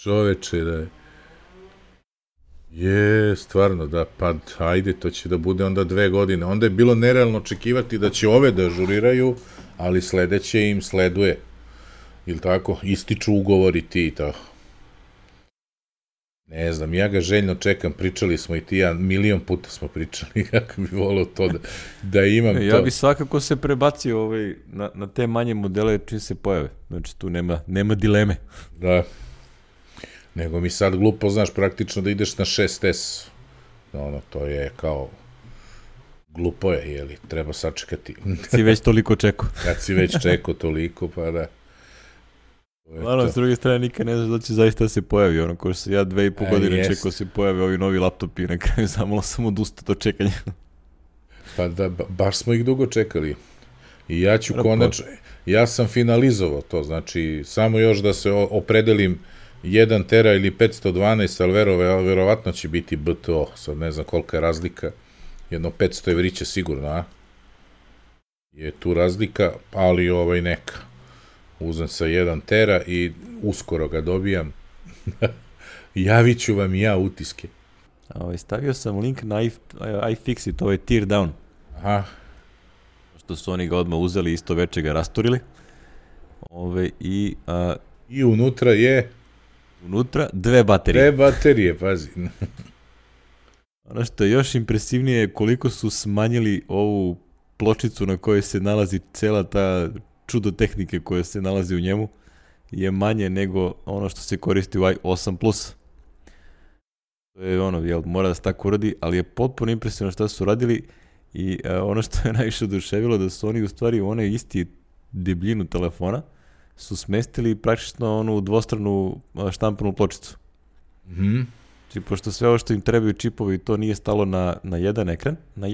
S2: Čoveče, da je. Je, stvarno, da, pa ajde, to će da bude onda 2 godine. Onda je bilo nerealno očekivati da će ove da ažuriraju, ali sledeće im sleduje. Ili tako, ističu ugovori ti i to. Ne znam, ja ga željno čekam, pričali smo i ti ja, milion puta smo pričali, kako bi volao to da imam to.
S1: Ja bi svakako se prebacio na te manje modele čim se pojave. Znači tu nema dileme.
S2: Da. Nego mi sad glupo, znaš, praktično da ideš na 6S. To je kao glupo je, jeli, treba sačekati.
S1: Si već toliko čekao.
S2: Kad si već čekao toliko, pa da.
S1: Naravno, s druge strane, nikad ne znaš da će zaista se pojavi, ono, ko što ja 2,5 godine čekao se pojave ovi novi laptopi i na kraju sam odustao do čekanja.
S2: Pa da, baš smo ih dugo čekali. I ja ću konačno, ja sam finalizovao to, znači, samo još da se opredelim 1 tera ili 512, ali verovatno će biti BTO, sad ne znam kolika je razlika, jedno 500 evrića sigurno, a? Je tu razlika, ali neka. Uzem sa 1 tera i uskoro ga dobijam. Javit ću vam i ja utiske.
S1: Stavio sam link na iFixit, to je tear down.
S2: Aha.
S1: Što su oni ga odmah uzeli, isto veče ga rasturili.
S2: I unutra je...
S1: Unutra 2 baterije.
S2: 2 baterije, pazi.
S1: Ono što je još impresivnije je koliko su smanjili ovu pločicu na kojoj se nalazi cela ta čudo tehnike koja se nalazi u njemu, je manje nego ono što se koristi u i8+. To je mora da se tako uradi, ali je potpuno impresivno šta su radili i ono što je najviše oduševilo da su oni u stvari u onaj isti debljinu telefona su smestili praktično u dvostranu štampanu pločicu. Znači, pošto sve ovo što im trebaju čipovi, to nije stalo na jedan ekran, na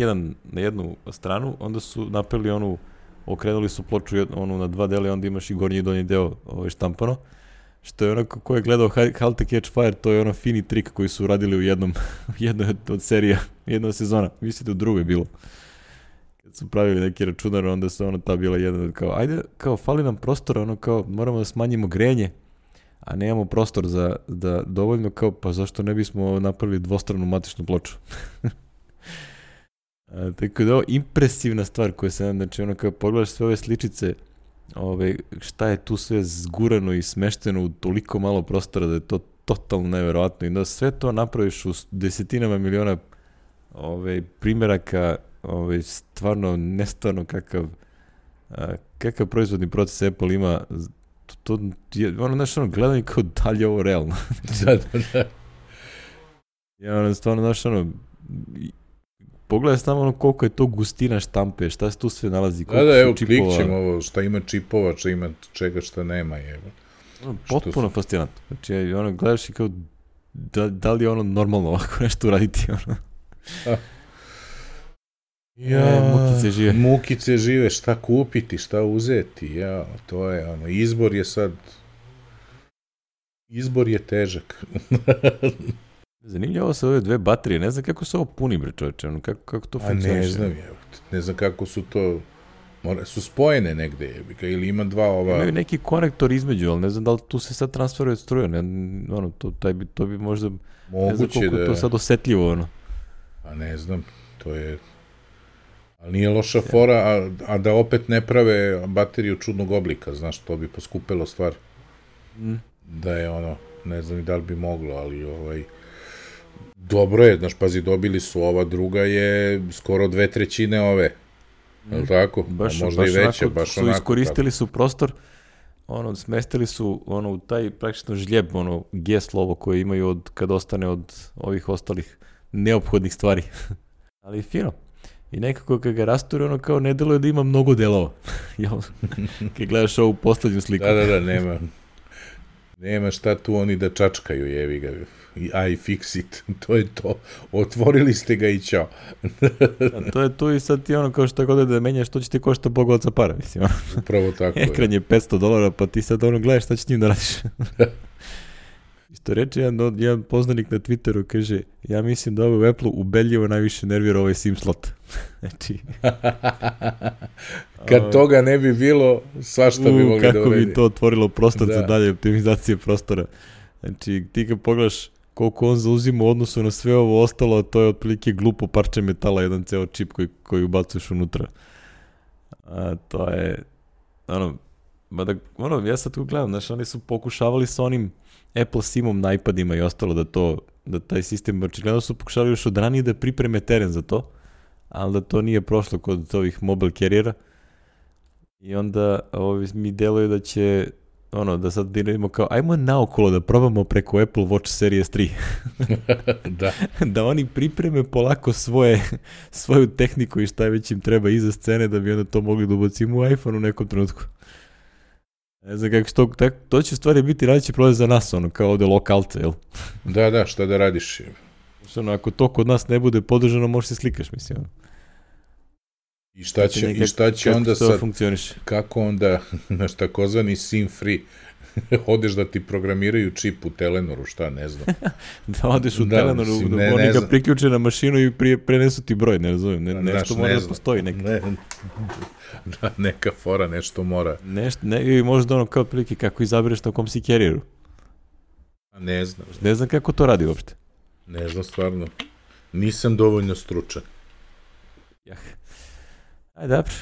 S1: jednu stranu, onda su napravili okrenuli su ploču na 2 dela i onda imaš i gornji i donji deo štampano. Što je onako, ko je gledao Halt to Catch Fire, to je fini trik koji su radili u jednoj od serija, jedna sezona, mislite u drugoj bilo. Kad su pravili neki računar, onda su ta bila jedna, ajde, fali nam prostora, moramo da smanjimo grejanje, a nemamo prostor da dovoljno, pa zašto ne bismo napravili dvostranu matičnu ploču? Tako da je ovo impresivna stvar koja se, znači pogledaš sve ove sličice, šta je tu sve zgurano i smešteno u toliko malo prostora da je to totalno neverovatno i da sve to napraviš u desetinama miliona primjeraka, stvarno nestvarno kakav proizvodni proces Apple ima, to je gledanje kao da li je ovo realno.
S2: Da.
S1: Ja stvarno, pogledaj samo koliko je to gustina štampe, šta se tu sve nalazi.
S2: Da, evo, klikćemo ovo, šta ima čipova, šta ima čega, šta nema, evo.
S1: Potpuno fascinantno. Znači, gledaš i kao, da li je normalno ovako nešto uraditi,
S2: mukice žive. Mukice žive, šta kupiti, šta uzeti, to je, izbor je težak.
S1: Zanimljivo se ove 2 baterije, ne znam kako se ovo puni, bre čovječe, kako to funkcioniše.
S2: Ne znam kako su to, su spojene negde, ili ima 2 ova...
S1: Imaju neki konektor između, ali ne znam da li tu se sad transferuje struja, to bi možda, ne znam koliko je to sad osetljivo,
S2: A ne znam, to je... Ali nije loša fora, a da opet ne prave bateriju čudnog oblika, znaš, to bi poskupilo stvar. Da je ne znam i da li bi moglo, ali dobro je, znaš, pazi, dobili su ova druga je skoro 2/3 ove, je li tako? Možda i veća, baš onako.
S1: Iskoristili su prostor, smestili su u taj praktično žljeb, G slovo koje imaju kad ostane od ovih ostalih neophodnih stvari. Ali fino. I nekako kad ga rasture, kao ne deluje da ima mnogo delova. Kad gledaš ovu poslednju sliku.
S2: Da, nema šta tu oni da čačkaju, jevi ga. iFixit, to je to. Otvorili ste ga i ćao.
S1: To je to i sad ti kao što god da menjaš, to će ti košta bogovaca para, mislim.
S2: Upravo tako.
S1: Ekran je $500, pa ti sad gledaš šta će s njim da radiš. Isto reče jedan poznanik na Twitteru, kaže, ja mislim da ovo u Apple ubedljivo najviše nervira ovaj SIM slot. Znači...
S2: Kad toga ne bi bilo, svašta bi mogli da uredi.
S1: Kako bi to otvorilo prostor za dalje optimizacije prostora. Znači, ti kad pogledaš koliko on zauzima u odnosu na sve ovo ostalo, a to je otprilike glupo parče metala, jedan ceo čip koji ubacuješ unutra. To je, ja sad tu gledam, znaš, oni su pokušavali sa onim Apple SIM-om na iPadima i ostalo da taj sistem, očigledno su pokušali još od ranije da pripreme teren za to, ali da to nije prošlo kod ovih mobile carriera i onda mi deluje da će da sad vidimo kao, ajmo naokolo da probamo preko Apple Watch Series 3. Da oni pripreme polako svoju tehniku i šta već im treba iza scene da bi onda to mogli da ubacimo u iPhone u nekom trenutku. Ne znam kako to će stvari biti radići prolaz za nas, kao ovde lokalce, jel?
S2: Da, šta da radiš?
S1: Ako to kod nas ne bude podržano, možeš se slikaš, mislim.
S2: I šta će onda sad, kako onda, naš takozvani SIM free, odeš da ti programiraju čip u Telenoru, šta, ne znam.
S1: Da odeš u Telenoru, oni ga priključe na mašinu i prenesu ti broj, ne razumijem, nešto mora da postoji.
S2: Neka fora, nešto mora.
S1: I možda kao prilike kako izabereš na kom si carrieru.
S2: Ne znam.
S1: Ne znam kako to radi uopšte.
S2: Ne znam, stvarno. Nisam dovoljno stručan.
S1: Ajde, dobro.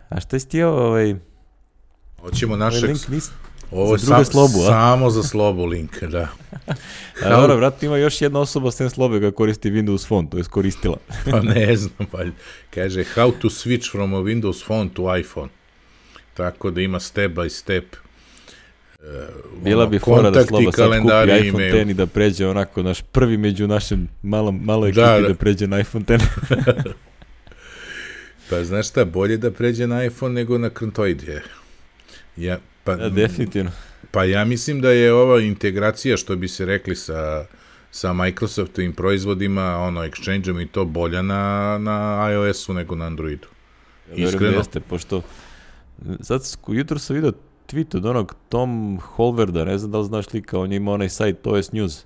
S1: A šta si ti
S2: hoćemo našeg...
S1: Ovo je
S2: samo za slobu link, da.
S1: Dobro, vratno ima još jedna osoba sem slobe koja koristi Windows Phone, to je koristila.
S2: Pa ne znam, kaže how to switch from a Windows Phone to iPhone. Tako da ima step by step.
S1: Bila bi fora da sloba sad kupi iPhone X i da pređe onako naš prvi među našem maloj ekipi da pređe na iPhone X.
S2: Pa znaš šta, bolje da pređe na iPhone nego na Krntoid je.
S1: Definitivno.
S2: Pa ja mislim da je ova integracija, što bi se rekli sa Microsoftovim proizvodima, Exchange-om i to bolja na iOS-u nego na Androidu.
S1: Iskreno. Jeste, pošto sad jutro sam vidio tweet od onog Tom Holverda, ne znam da li znaš lika, on je imao onaj sajt OS News.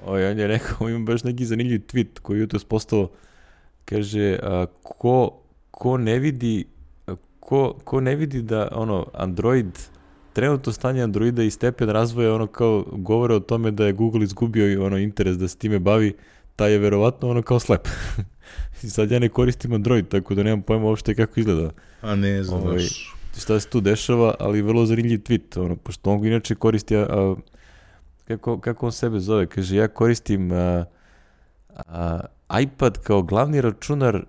S1: On je rekao, ima baš neki zanimljiv tweet koji jutro postao, kaže, ko ne vidi da Android, trenutno stanje Androida i stepen razvoja kao govore o tome da je Google izgubio interes da se time bavi, taj je verovatno kao slep. I sad ja ne koristim Android, tako da nemam pojma uopšte kako izgleda.
S2: A ne znaš.
S1: Šta se tu dešava, ali vrlo zanimljiv tweet, pošto on inače koristi, kako on sebe zove, kaže, ja koristim iPad kao glavni računar,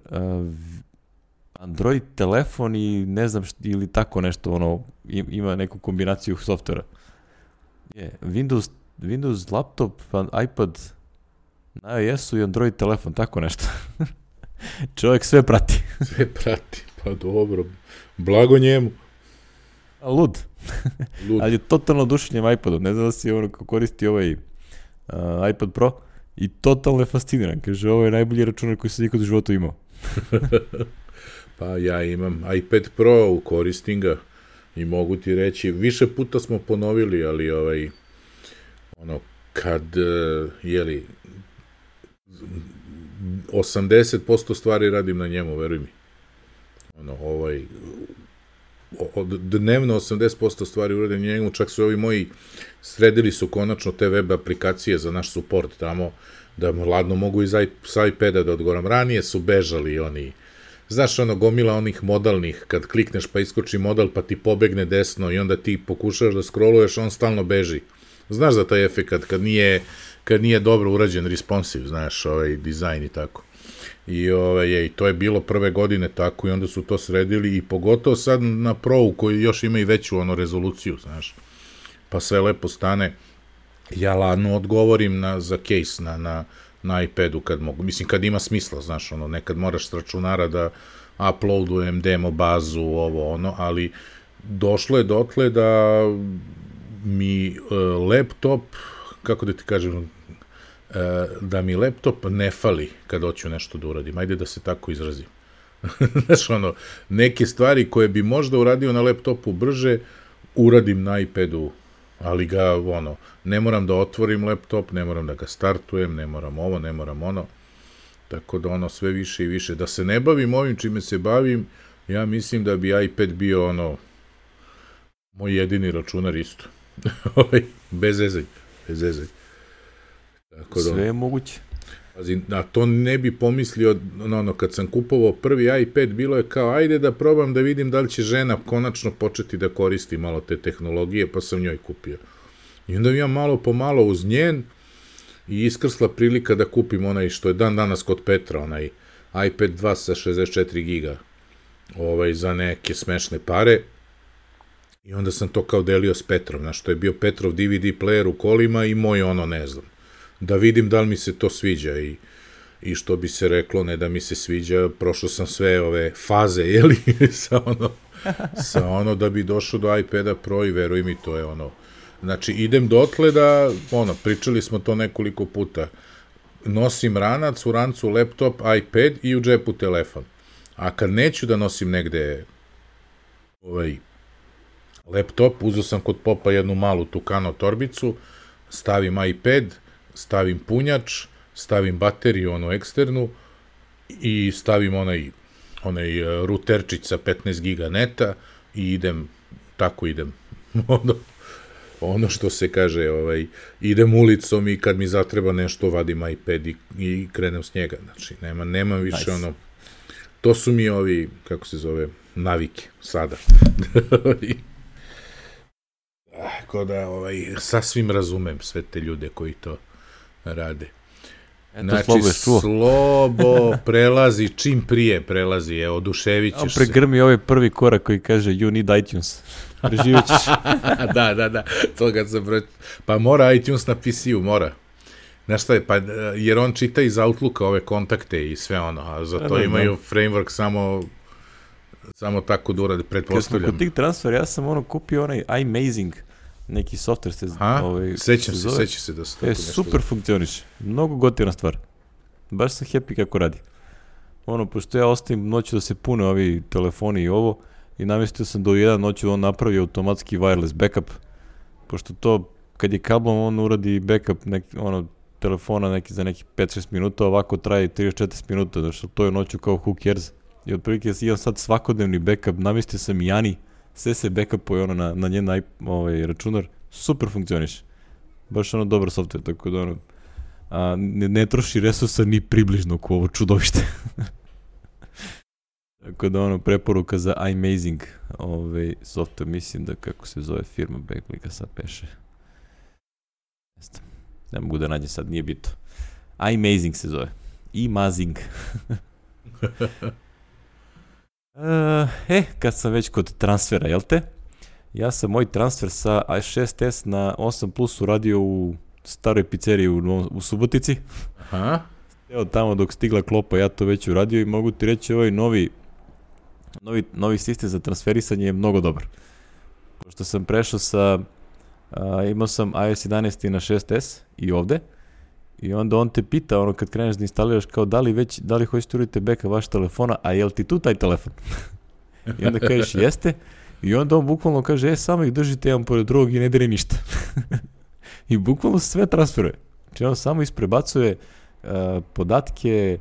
S1: Android telefon i ne znam ili tako nešto, ima neku kombinaciju softvera. Windows laptop, iPad, na iOS-u i Android telefon, tako nešto. Čovjek sve prati.
S2: Sve prati, pa dobro. Blago njemu.
S1: Lud. Ali je totalno oduševljen iPadom. Ne znam da si koristi ovaj iPad Pro i totalno je fasciniran. Kaže, ovo je najbolji računar koji sam nikad u životu imao.
S2: Pa ja imam iPad Pro, koristim ga i mogu ti reći, više puta smo ponovili, ali kad 80% stvari radim na njemu, veruj mi. Dnevno 80% stvari uradim na njemu, čak su ovi moji sredili su konačno te web aplikacije za naš support tamo, da ladno mogu sa iPada da odgovoram. Ranije su bežali oni, znaš, gomila onih modalnih, kad klikneš pa iskoči modal pa ti pobegne desno i onda ti pokušaš da scrolluješ, on stalno beži. Znaš za taj efekt kad nije dobro urađen responsive, znaš, dizajn i tako. I to je bilo prve godine tako i onda su to sredili i pogotovo sad na Pro-u koji još ima i veću rezoluciju, znaš. Pa sve lepo stane. Ja ladno odgovorim za case na iPadu kad mogu. Mislim, kad ima smisla, znaš, nekad moraš s računara da uploadujem demo bazu, ali došlo je dotle da mi laptop, kako da ti kažem, da mi laptop ne fali kad hoću nešto da uradim. Ajde da se tako izrazim. Znaš, neke stvari koje bi možda uradio na laptopu brže, uradim na iPadu, ali ga, ne moram da otvorim laptop, ne moram da ga startujem, ne moram ovo, ne moram ono. Tako da sve više i više. Da se ne bavim ovim čime se bavim, ja mislim da bi iPad bio moj jedini računar isto. Bez zezaj.
S1: Sve je moguće.
S2: A to ne bi pomislio, kad sam kupovao prvi iPad, bilo je kao, ajde da probam da vidim da li će žena konačno početi da koristi malo te tehnologije, pa sam njoj kupio. I onda imam malo po malo uz njen i iskrsla prilika da kupim onaj što je dan danas kod Petra, onaj iPad 2 sa 64 giga, za neke smešne pare. I onda sam to kao delio s Petrom, znaš, to je bio Petrov DVD player u kolima i moj ne znam. Da vidim da li mi se to sviđa i što bi se reklo, ne da mi se sviđa, prošao sam sve ove faze, jeli, sa da bi došao do iPada Pro i veruj mi, to je znači idem dotle da, pričali smo to nekoliko puta, nosim ranac, u rancu laptop, iPad i u džepu telefon, a kad neću da nosim negde laptop, uzeo sam kod popa jednu malu Tucano torbicu, stavim iPad, stavim punjač, stavim bateriju, eksternu, i stavim onaj ruterčić sa 15 giga neta i idem. Ono što se kaže, idem ulicom i kad mi zatreba nešto, vadim iPad i krenem s njega. Znači, nemam više to su mi kako se zove, navike, sada. Tako da, sasvim razumem sve te ljude koji to rade. Znači, Slobo prelazi, čim prije prelazi, oduševit ćeš se.
S1: Pregrmi ovaj prvi korak koji kaže you need iTunes. Preživjet ćeš.
S2: Da, to kad sam pa mora iTunes na PC-u, mora. Znaš šta je, jer on čita iz Outlooka ove kontakte i sve a za to imaju framework samo tako da urade, pretpostavljam.
S1: Kad smo kod tih transfera, ja sam kupio onaj iMazing, neki software
S2: sećam se da se tako nešto
S1: super funkcioniše, mnogo gotivna stvar, baš sam happy kako radi. Pošto ja ostavim noću da se pune ovi telefoni i i namestio sam do 1 noću on napravi automatski wireless backup, pošto to kad je kablom on uradi backup telefona za nekih 5-6 minuta, ovako traje 30-40 minuta, znači to je noću kao who cares, i otprilike imam sad svakodnevni backup, namestio sam i Ani, sve se backupuje na njen računar, super funkcioniše. Baš dobar software, tako da ne troši resursa ni približno ko ovo čudovište. Tako da preporuka za iMazing software, mislim da kako se zove firma, Backlika sad peše. Ne mogu da nađem sad, nije bitno. iMazing se zove. iMazing. Kad sam već kod transfera, jel te? Ja sam moj transfer sa i6s na 8 Plus uradio u staroj pizzeriji u Subotici.
S2: Aha.
S1: Evo tamo dok stigla klopa, ja to već uradio i mogu ti reći ovaj novi sistem za transferisanje je mnogo dobar. Pošto sam prešao imao sam iOS 11 na 6s i ovde, i onda on te pita, kad kreneš da instaliraš, kao da li hoćete uraditi backup vaš telefona, a jel ti tu taj telefon? I onda kažeš jeste, i onda on bukvalno kaže, samo ih držite jedan pored drugog i ne diri ništa. I bukvalno sve transferuje. Znači on samo isprebacuje podatke,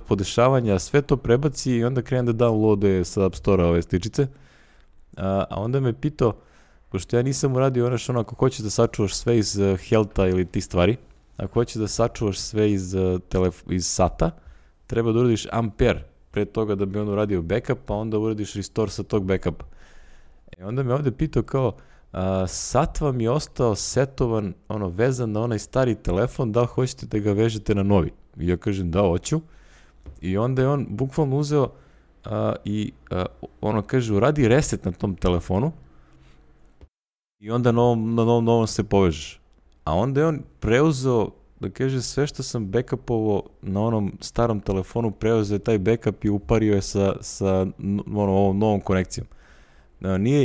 S1: podešavanja, sve to prebaci i onda krene da downloaduje sa App Store-a ove stičice. A onda me pitao, pošto ja nisam uradio ako hoćeš da sačuvaš sve iz Healtha ili ti stvari, ako hoćeš da sačuvaš sve iz SATA, treba da uradiš Ampere pre toga da bi on uradio backup, pa onda uradiš restore sa tog backupa. Onda me ovde pitao kao, sat vam je ostao setovan, vezan na onaj stari telefon, da li hoćete da ga vežete na novi? I ja kažem da, hoću. I onda je on bukvalno uzeo i kaže, uradi reset na tom telefonu i onda na novom se povežeš. A onda je on preuzeo, da kaže, sve što sam backupovao na onom starom telefonu, preuzeo je taj backup i upario je sa ovom novom konekcijom.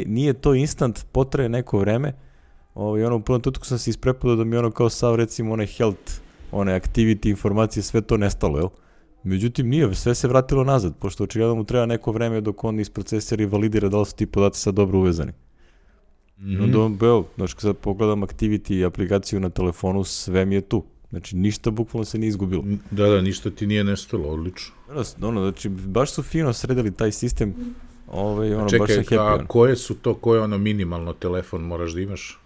S1: Nije to instant, potraje neko vreme. U prvom trenutku sam se isprepadao da mi kao sav, recimo, onaj health, one activity informacije, sve to nestalo, jel? Međutim, nije, sve se vratilo nazad, pošto očigledno mu treba neko vreme dok on isprocesira i validira da li su ti podaci sad dobro uvezani. Onda on, znači kad pogledam activity aplikaciju na telefonu, sve mi je tu. Znači, ništa bukvalno se nije izgubilo.
S2: Da, ništa ti nije nestalo, odlično.
S1: Znači, baš su fino sredili taj sistem. ono,
S2: čekaj,
S1: baš sam happy.
S2: A koje su to, koje ono minimalno telefon moraš da imaš?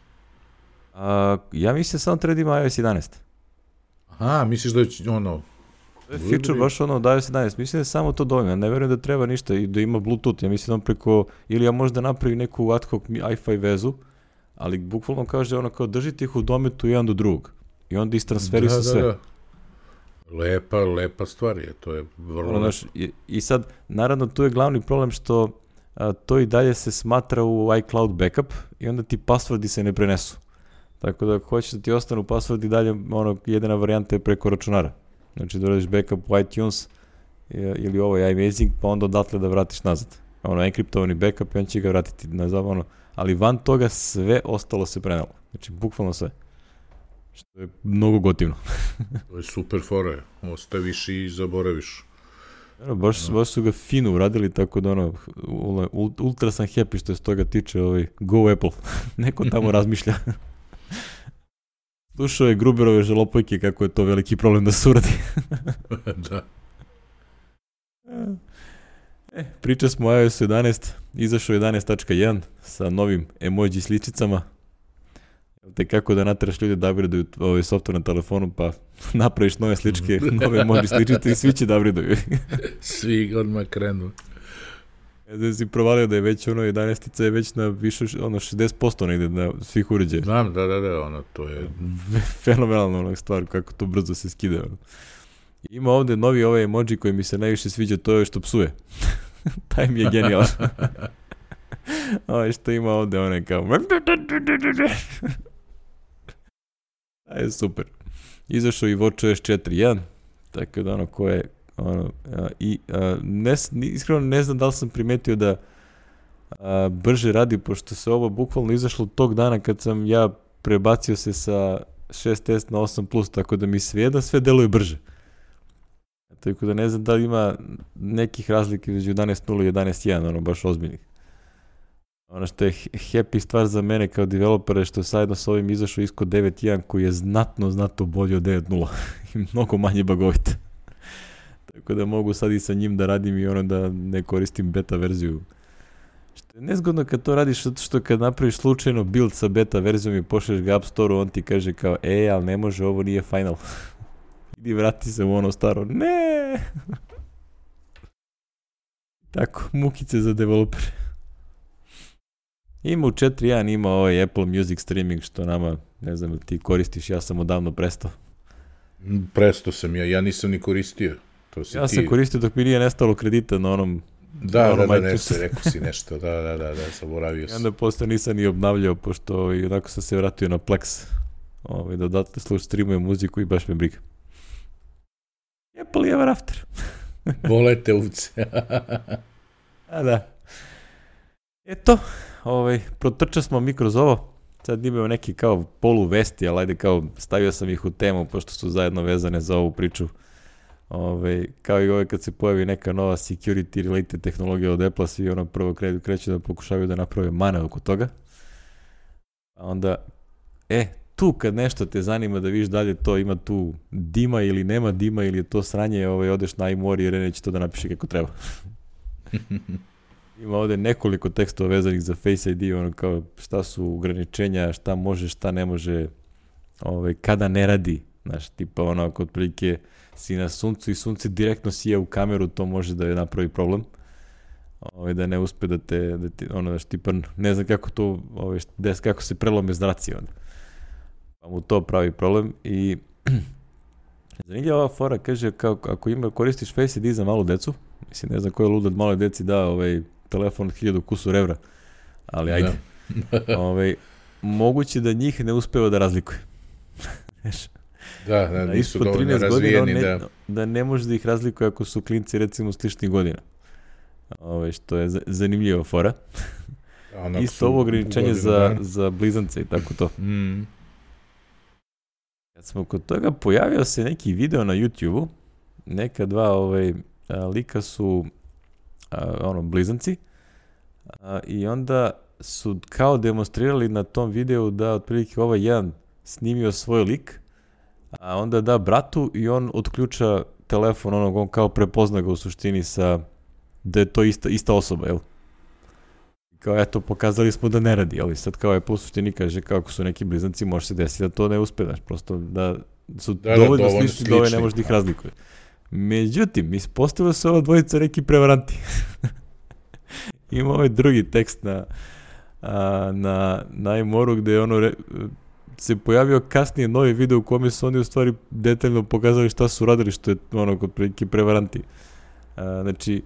S1: Ja mislim samo treba da ima iOS 11.
S2: Aha, misliš da je ono...
S1: To je feature baš ono od iOS 11. Mislim da je samo to dovoljno. Ne verujem da treba ništa i da ima Bluetooth. Ja mislim da preko, ili ja možda napravim neku ad hoc Wi-Fi vezu, ali bukvalno kaže ono kao držite ih u dometu jedan do drugog. I onda istransferi se sve. Da.
S2: Lepa stvar je, to je vrlo
S1: lepo. I sad, naravno, tu je glavni problem što to i dalje se smatra u iCloud backup i onda ti passwordi se ne prenesu. Tako da ako hoćeš da ti ostanu passwordi dalje, jedina varijanta je preko računara. Znači da uradiš backup u iTunes ili ovo je iMazing, pa onda odatle da vratiš nazad. Enkriptovani backup i on će ga vratiti nazad, ali van toga sve ostalo se prenelo. Znači, bukvalno sve. Što je mnogo gotivno.
S2: To je super fora, ostaviš i zaboraviš.
S1: Baš su ga fino uradili, tako da ultra sam happy što je s toga tiče Go Apple. Neko tamo razmišlja. Slušao je Gruberove žalopojke kako je to veliki problem da se uradi.
S2: Da.
S1: Priča smo o iOS 11, izašao 11.1 sa novim emoji sličicama. Te kako da nateraš ljudi da upgradeuju ovaj software na telefonu, pa napraviš nove sličke, nove emoji sličice i svi će da upgradeuju.
S2: Svi odmah krenu.
S1: Da si provalio da je već 11-ica je već na više 60% negde na svih uređaja.
S2: Znam, da, to je...
S1: Fenomenalna stvar, kako to brzo se skida. Ima ovde novi ovaj emoji koji mi se najviše sviđa, to je što psuje. Taj mi je genijalan. Što ima ovde, on je kao... je super. Izašao i WatchOS 4.1, tako da ko je iskreno ne znam da li sam primetio da brže radi, pošto se ovo bukvalno izašlo tog dana kad sam ja prebacio se sa 6S na 8+, tako da mi sve deluje brže. Tako da ne znam da li ima nekih razlika između 11.0 i 11.1, baš ozbiljnih. Ono što je happy stvar za mene kao developera je što sajedno s ovim izašao isko 9.1 koji je znatno bolji od 9.0 i mnogo manje bagovit. Tako da mogu sad i sa njim da radim i da ne koristim beta verziju. Što je nezgodno kad to radiš, što kad napraviš slučajno build sa beta verzijom i pošleš ga App Store-u, on ti kaže kao, ali ne može, ovo nije final. Idi vrati se u ono staro. Ne! Tako, mukice za developere. Ima u 4.1, ima ovaj Apple Music streaming što nama, ne znam, ti koristiš, ja sam odavno prestao.
S2: Prestao sam ja nisam ni koristio.
S1: Ja sam koristio dok mi nije nestalo kredita na onom...
S2: Da, rekao si nešto, da, zaboravio sam.
S1: I onda posle nisam ni obnavljao, pošto onako sam se vratio na Plex, da odatle streamujem muziku i baš me briga. Apple ever after.
S2: Volete uvce.
S1: A da. Eto, protrčali smo mi kroz ovo. Sad imamo neki kao polu vesti, ali ajde kao stavio sam ih u temu, pošto su zajedno vezane za ovu priču. Kao i kad se pojavi neka nova security related tehnologija od Apple, svi prvo kreću da pokušavaju da naprave mane oko toga. A onda, tu kad nešto te zanima da vidiš dalje to ima tu dima ili nema dima ili je to sranje, odeš na iMori jer neće to da napiše kako treba. Ima ovde nekoliko tekstova vezanih za Face ID, kao šta su ograničenja, šta može, šta ne može, kada ne radi, znaš, tipa ako otprilike si na suncu i sunce direktno sija u kameru, to može da je napravi problem. Da ne uspe da te tipa, ne znam kako to, kako se prelome zraci onda. Pa mu to pravi problem i zanimljiva ova fora, kaže, ako koristiš Face ID za malu decu, mislim, ne znam ko je lud od maloj deci da telefon od 1000 kusur evra, ali ajde. Moguće da njih ne uspeva da razlikuje.
S2: Da, nisu dovoljno razvijeni.
S1: Da ne može da ih razlikuje ako su klinci recimo sličnih godina. Što je zanimljiva fora. Isto ovo ograničenje za blizance i tako to. Kad smo kod toga, pojavio se neki video na YouTube-u, neka dva lika su blizanci i onda su kao demonstrirali na tom videu da otprilike jedan snimio svoj lik, a onda da bratu i on otključa telefon, on kao prepozna ga u suštini da je to ista osoba, jel? Kao, eto, pokazali smo da ne radi, ali sad kao Apple u suštini kaže kako su neki blizanci, može se desiti da to ne uspe, znaš, prosto da su dovoljno slični da ove ne može da ih razlikuje. Međutim, ispostavilo se ova dvojica neki prevaranti. Ima ovaj drugi tekst na iMoru gde je ono se pojavio kasnije novi video u kome su oni u stvari detaljno pokazali šta su radili, što je ono kod prilike prevaranti. Znači,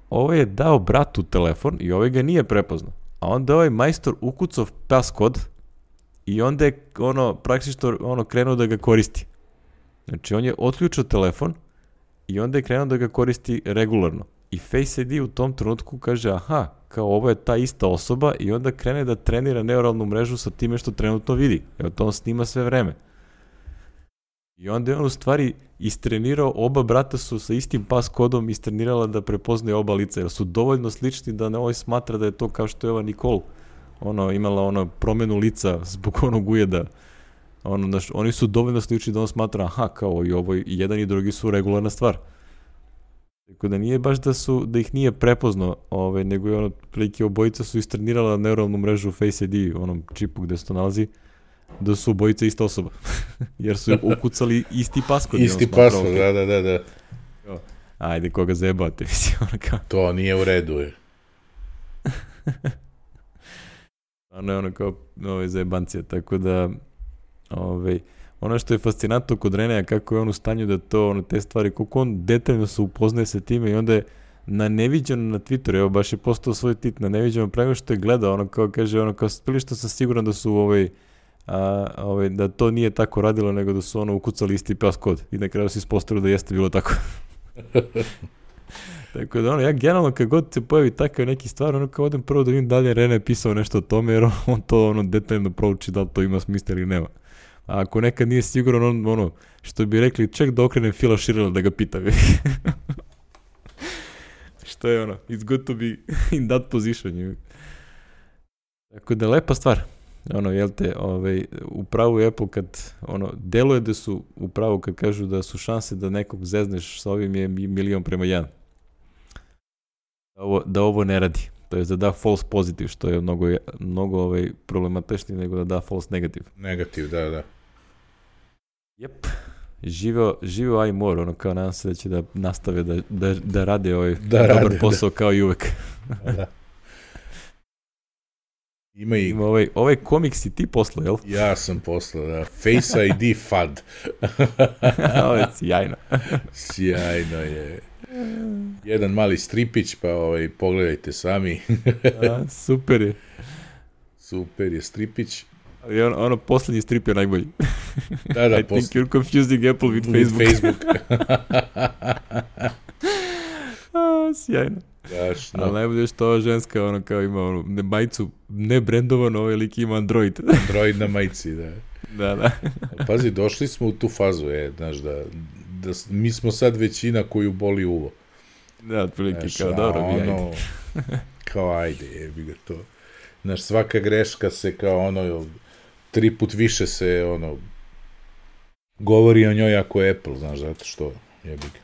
S1: ovo je dao bratu telefon i ovaj ga nije prepoznao. A onda ovaj majstor ukucao paskod i onda je praktično krenuo da ga koristi. Znači, on je otključio telefon i onda je krenuo da ga koristi regularno. I Face ID u tom trenutku kaže, aha, kao ovo je ta ista osoba i onda krene da trenira neuralnu mrežu sa time što trenutno vidi. Evo to on snima sve vreme. I onda je on u stvari istrenirao, oba brata su sa istim pas kodom istrenirala da prepoznaju oba lica, jer su dovoljno slični da ne ovaj smatra da je to kao što je ova Nicole imala promenu lica zbog onog ujeda. Oni su dovoljno slični da on smatra, aha, kao i ovo, i jedan i drugi su regularna stvar. Tako da nije baš da ih nije prepoznao, nego je prilike obojica su istrenirala neuralnu mrežu Face ID, onom čipu gde se to nalazi, da su obojica ista osoba. Jer su ukucali isti paskod.
S2: Isti paskod, da.
S1: Ajde, koga zajebate, mislim, kao.
S2: To nije u redu, je.
S1: Ono je kao zajebancija, tako da, ono što je fascinantno kod Reneja, kako je on u stanju da to, te stvari, koliko on detaljno se upoznaje sa time i onda je na neviđeno na Twitteru, evo baš je postao svoj tit na neviđeno, prema što je gledao, kao kaže, kao spili što sam siguran da su da to nije tako radilo, nego da su ukucali isti pas kod i na kraju se ispostavilo da jeste bilo tako. Tako da ja generalno kad god se pojavi takav neki stvar, kao odem prvo da vidim da li je Rene pisao nešto o tome, jer on to detaljno prouči da li to ima smisla ili nema. A ako nekad nije siguran, što bi rekli, ček da okrenem Phila Schirrella da ga pitam. Što je it's good to be in that position. Tako da lepa stvar. Jel te, u pravu je Apple kad, deluje da su u pravu kad kažu da su šanse da nekog zezneš sa ovim je 1:1. Da ovo ne radi. To je da da false positive, što je mnogo problematičnije nego da da false negative.
S2: Negativ, da.
S1: Jep. Živeo iMore, kao nadam se da će da nastave da rade dobar posao kao i uvek.
S2: Da. Ima
S1: ovaj komik si ti poslao, jel?
S2: Ja sam poslao, da. Face ID FUD.
S1: Ovo je sjajno.
S2: Sjajno je. Jedan mali stripić, pa pogledajte sami.
S1: Super je.
S2: Super je stripić.
S1: Ali poslednji strip je najbolji.
S2: Da,
S1: I think you're confusing Apple with Facebook. Sjajno.
S2: Dašno.
S1: Ali najbolje što ova ženska, kao ima majicu nebrendovano, lik ima Android.
S2: Android na majici, da.
S1: Da.
S2: Pazi, došli smo u tu fazu, znaš, da mi smo sad većina koju boli uvo.
S1: Da, otprilike, kao dobro, ajde.
S2: Kao ajde, jebi ga to. Znaš, svaka greška se kao 3 put više se govori o njoj ako je Apple, znaš, zato što jebi ga.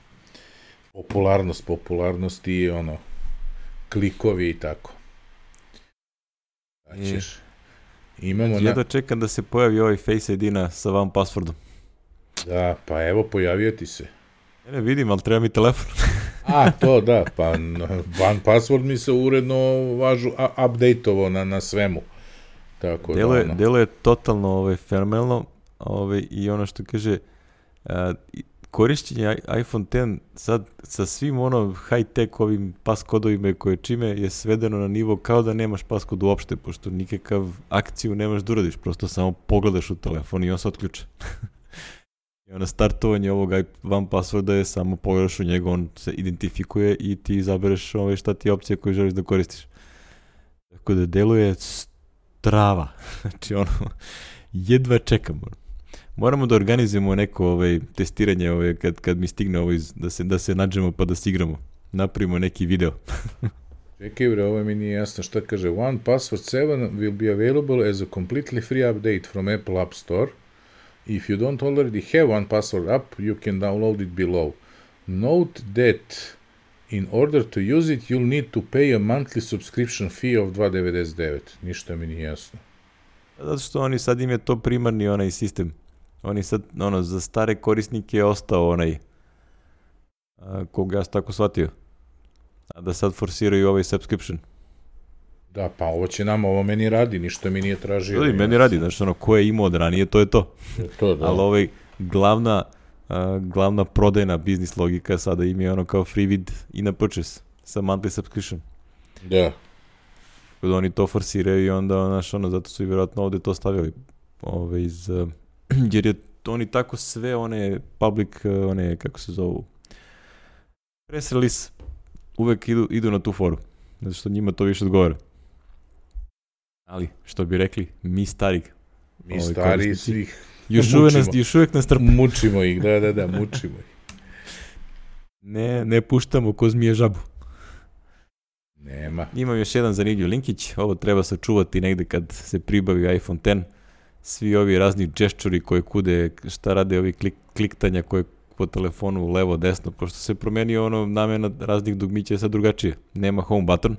S2: Popularnost i klikovi i tako.
S1: Jedva čekam da se pojavi ovaj Face ID sa vam passwordom.
S2: Da, pa evo, pojavio ti se.
S1: Ne vidim, ali treba mi telefon.
S2: To da, pa van password mi se uredno update-ovo na svemu. Tako
S1: Deluje totalno fenomenalno i ono što kaže korišćenje iPhone X sad sa svim high-tech ovim paskodovima koje čime je svedeno na nivo kao da nemaš paskod uopšte, pošto nikakav akciju nemaš da uradiš, prosto samo pogledaš u telefon i on se otključe. I startovanje ovog van passworda je samo pogledaš u njega, on se identifikuje i ti izabereš šta ti je opcija koju želiš da koristiš. Tako da deluje strava. Znači jedva čekam. Moramo da organizujemo neko testiranje kad mi stigne da se nađemo pa da se igramo. Napravimo neki video.
S2: Čekaj bre, ovo mi nije jasno šta kaže. One Password 7 will be available as a completely free update from Apple App Store. If you don't already have One Password app, you can download it below. Note that In order to use it, you'll need to pay a monthly subscription fee of $2.99. Ništa mi nije jasno.
S1: Zato što oni sad im je to primarni onaj sistem. Oni sad, za stare korisnike je ostao onaj koga ja sam tako shvatio. A da sad forsiraju ovaj subscription.
S2: Da, pa ovo meni radi, ništa mi nije tražio.
S1: Da, meni radi, znači ko je imao od ranije, to je to.
S2: To da.
S1: Ali ovaj glavna prodajna biznis logika sada im je kao free vid in a purchase sa monthly subscription.
S2: Da.
S1: Kada oni to forsiraju i onda, zato su i vjerojatno ovde to stavili. Jer je oni tako sve one public, kako se zovu, press release, uvek idu na tu foru. Zato što njima to više odgovara. Ali, što bi rekli, mi stari
S2: svih
S1: još uvek nas trpe.
S2: Mučimo ih, da, mučimo ih.
S1: Ne puštamo ko zmije žabu.
S2: Nema.
S1: Imam još jedan zanimljiv linkić, ovo treba sačuvati negde kad se pribavi iPhone X. Svi ovi razni džeščuri koje kude, šta rade ovi kliktanja koje po telefonu levo, desno, pošto se promenio namena raznih dugmića je sad drugačije. Nema home button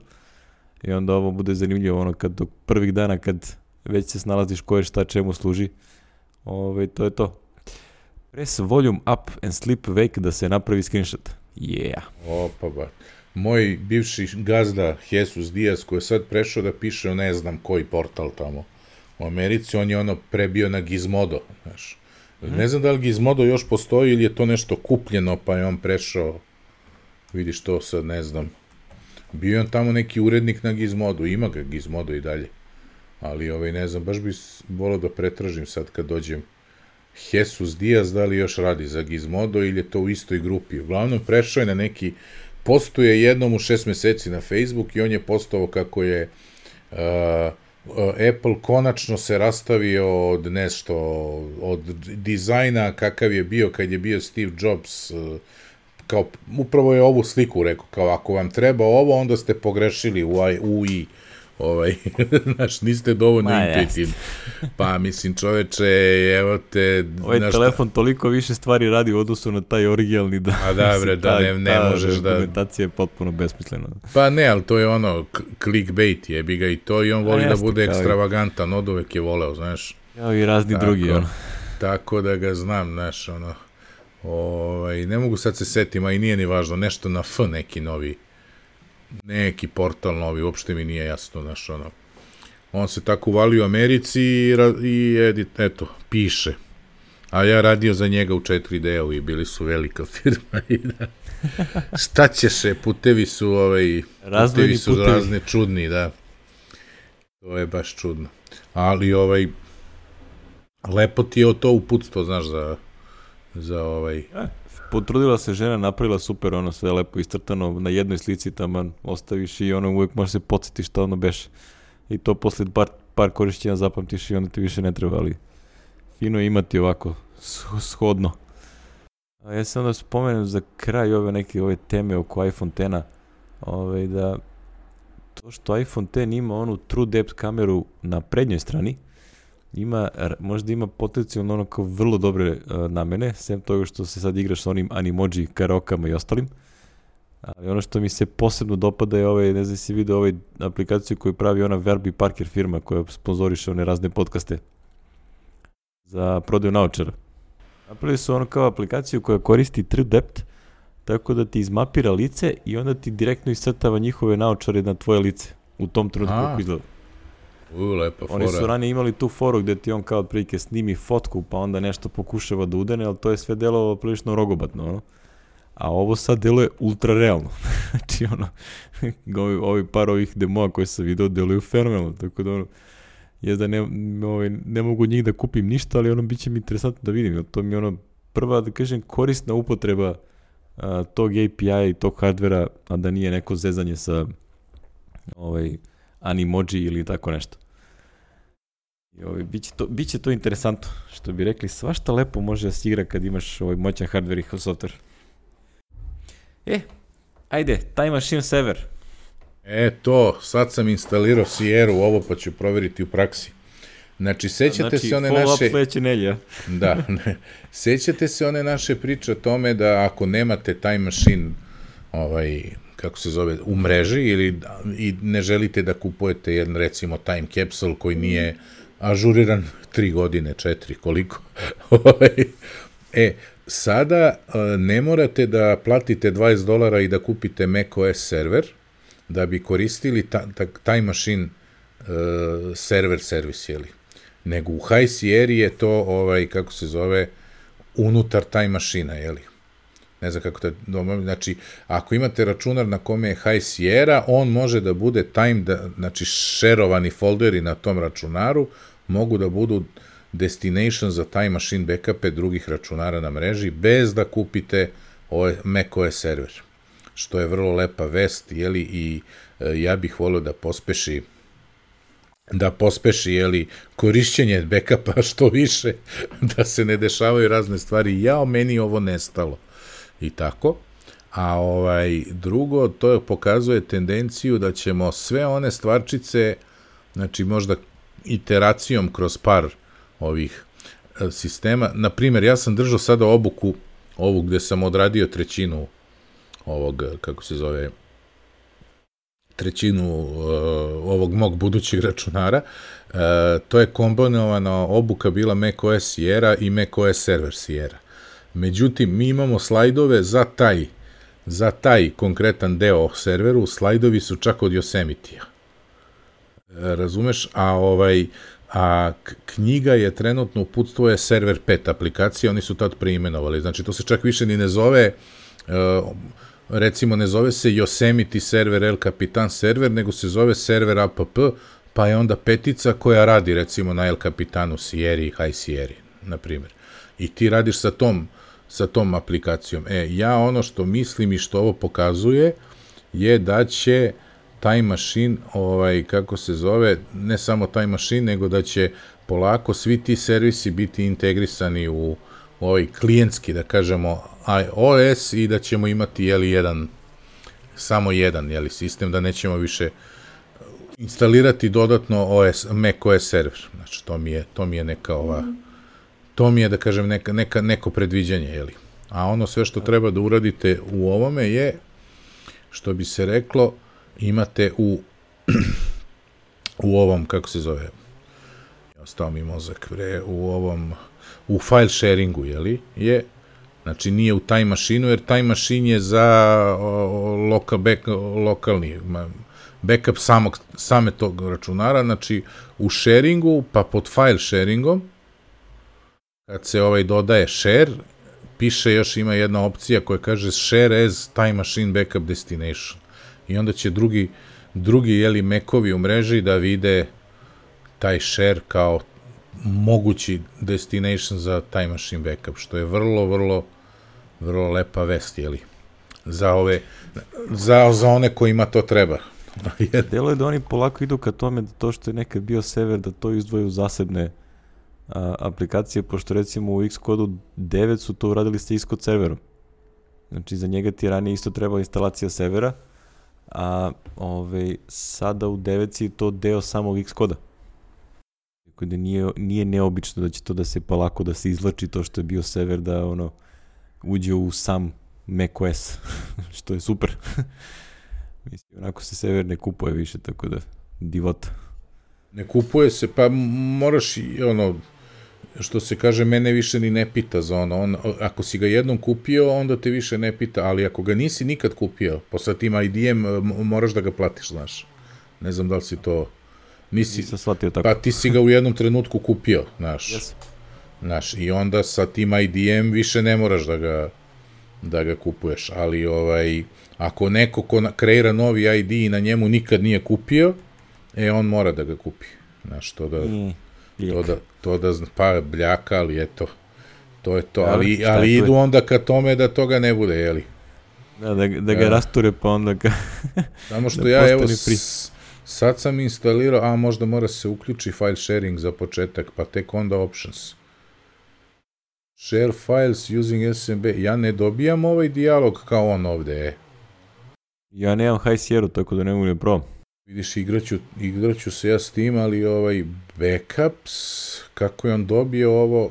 S1: i onda ovo bude zanimljivo kad do prvih dana kad već se snalaziš ko je šta čemu služi. To je to. Press volume up and sleep wake da se napravi screenshot. Yeah.
S2: Opa ba. Moj bivši gazda Jesus Diaz koji je sad prešao da piše ne znam koji portal tamo u Americi, on je prebio na Gizmodo, znaš. Ne znam da li Gizmodo još postoji ili je to nešto kupljeno pa je on prešao, vidiš to sad, ne znam. Bio je on tamo neki urednik na Gizmodu, ima ga Gizmodo i dalje. Ali ne znam, baš bi volao da pretražim sad kad dođem. Jesus Diaz, da li još radi za Gizmodo ili je to u istoj grupi. Uglavnom prešao je na neki, postuje jednom u 6 meseci na Facebook i on je postovao kako je Apple konačno se rastavio od nešto, od dizajna kakav je bio kad je bio Steve Jobs, kao upravo je ovu sliku rekao, kao ako vam treba ovo, onda ste pogrešili u i znaš, niste dovoljno intuitivni. Pa, mislim, čoveče, evo te...
S1: Telefon toliko više stvari radi u odnosu na taj originalni da...
S2: A da, bre, da ne možeš da...
S1: Dokumentacija je potpuno besmislena.
S2: Pa ne, ali to je clickbait, jebi ga i to, i on voli da bude ekstravagantan, od uvek je voleo, znaš.
S1: Kao i razni drugi,
S2: Tako da ga znam, znaš, ne mogu sad se setim, a i nije ni važno, nešto na F neki novi. Neki portal novi, uopšte mi nije jasno, znaš, on se tako uvalio u Americi i eto, piše. A ja radio za njega u 4D-u i bili su velika firma i da, šta ćeš, putevi su putevi su razne čudni, da. To je baš čudno. Ali lepo ti je to uputstvo, znaš, za
S1: Potrudila se žena, napravila super, sve lepo iscrtano, na jednoj slici tamo ostaviš i uvijek možeš se podsjetiš šta beše. I to posle par korišćenja zapamtiš i onda ti više ne treba, ali fino je imati ovako shodno. A ja sam onda spomenem za kraj ove teme oko iPhone X-a, da to što iPhone X ima onu True Depth kameru na prednjoj strani, možda ima potencijalno kao vrlo dobre namene, sem toga što se sad igraš sa onim animoji, karaokama i ostalim. Ali ono što mi se posebno dopada je ne znam si vidio aplikaciju koju pravi ona Verbi Parker firma koja sponzoriše one razne podcaste za prodaju naočara. Napravili su kao aplikaciju koja koristi True Depth, tako da ti izmapira lice i onda ti direktno iscrtava njihove naočare na tvoje lice u tom trenutku kako izgleda.
S2: Lepa fora.
S1: Oni su ranije imali tu foru gde ti on kao otprilike snimi fotku pa onda nešto pokušava da udene, ali to je sve delovalo prilično rogobatno, A ovo sad deluje ultra realno. Znači, ovi par ovih demoa koje sam video deluju fenomenalno, tako da je da ne mogu njih da kupim ništa, ali bit će mi interesantno da vidim. To mi je prva, da kažem, korisna upotreba tog API-a i tog hardvera, a da nije neko zezanje sa animoji ili tako nešto. Biće to interesantno. Što bi rekli, svašta lepo može da se igra kad imaš moćan hardware i software. Ajde, Time Machine Server.
S2: Sad sam instalirao Sierra u ovo pa ću provjeriti u praksi. Znači, sećate se one naše...
S1: Follow-up sledeće nelje.
S2: Da, sećate se one naše priče o tome da ako nemate Time Machine kako se zove, u mreži ili i ne želite da kupujete jedan, recimo, time capsule koji nije ažuriran 3 godine, 4, koliko. Sada ne morate da platite $20 i da kupite macOS server da bi koristili Time Machine server servis, jeli. Nego u High Sierra je to, kako se zove, unutar Time Machine-a, jeli. Ne znam kako znači, ako imate računar na kome je High Sierra, on može da bude znači, šerovani folderi na tom računaru, mogu da budu destination za Time Machine backupe drugih računara na mreži, bez da kupite macOS server, što je vrlo lepa vest, jeli, i ja bih volio da pospeši, jeli, korišćenje backupa što više, da se ne dešavaju razne stvari. Meni ovo nestalo. I tako. A drugo, to pokazuje tendenciju da ćemo sve one stvarčice, znači možda iteracijom kroz par ovih sistema, na primjer, ja sam držao sada obuku, ovu gde sam odradio trećinu ovog, kako se zove, trećinu ovog mog budućeg računara, to je kombinovana obuka bila macOS Sierra i macOS Server Sierra. Međutim, mi imamo slajdove za taj konkretan deo o serveru, slajdovi su čak od Yosemite-a. Razumeš? A knjiga je trenutno, uputstvo je Server 5 aplikacija, oni su tad preimenovali. Znači, to se čak više ni ne zove, recimo ne zove se Yosemite server El Capitan server, nego se zove server app, pa je onda petica koja radi recimo na El Capitanu Sierra i High Sierra, na primjer. I ti radiš sa tom aplikacijom. Ja ono što mislim i što ovo pokazuje je da će Time Machine, kako se zove, ne samo Time Machine, nego da će polako svi ti servisi biti integrisani u ovaj klijentski, da kažemo, iOS i da ćemo imati, samo jedan sistem, da nećemo više instalirati dodatno macOS server. Znači, to mi je neka to mi je, da kažem, neko predviđanje, A ono sve što treba da uradite u ovome je, što bi se reklo, imate u ovom, kako se zove, ostao mi mozak, u file sharingu, znači nije u Time Machine-u, jer Time Machine je za lokalni backup same tog računara, znači u sharingu, pa pod file sharingom, kad se dodaje share, piše još, ima jedna opcija koja kaže share as Time Machine backup destination. I onda će drugi Mac-ovi u mreži da vide taj share kao mogući destination za Time Machine backup, što je vrlo, vrlo, vrlo lepa vest, za one kojima to treba.
S1: Delo je da oni polako idu ka tome da to što je nekad bio server, da to izdvoje u zasebne aplikacije, pošto recimo u Xcode 9 su to uradili sa Xcode serverom. Znači za njega ti ranije isto treba instalacija servera, a sada u 9 je to deo samog Xcode-a. Tako da nije neobično da će to da se polako da se izlači to što je bio server, da uđe u sam macOS, što je super. Mislim, onako se server ne kupuje više, tako da divota.
S2: Ne kupuje se, pa moraš što se kaže, mene više ni ne pita za ako si ga jednom kupio, onda te više ne pita, ali ako ga nisi nikad kupio, posle tim IDM moraš da ga platiš, znaš. Ne znam da li si to...
S1: Nisam shvatio tako.
S2: Pa ti si ga u jednom trenutku kupio, znaš.
S1: Yes.
S2: Znaš, i onda sa tim IDM više ne moraš da ga kupuješ, ali ako neko ko kreira novi ID i na njemu nikad nije kupio, on mora da ga kupi. Znaš, pa bljaka, ali eto, to je to, ali idu onda ka tome da toga ne bude, jeli?
S1: Da ga rasture, pa onda ga...
S2: Samo što ja, evo, sad sam instalirao, a možda mora se uključi file sharing za početak, pa tek onda options. Share files using SMB. Ja ne dobijam ovaj dijalog kao on ovde,
S1: Ja nemam High Sierra, tako da ne mogu ne probam.
S2: Vidiš, igraću se ja s tim, ali backups, kako je on dobio ovo?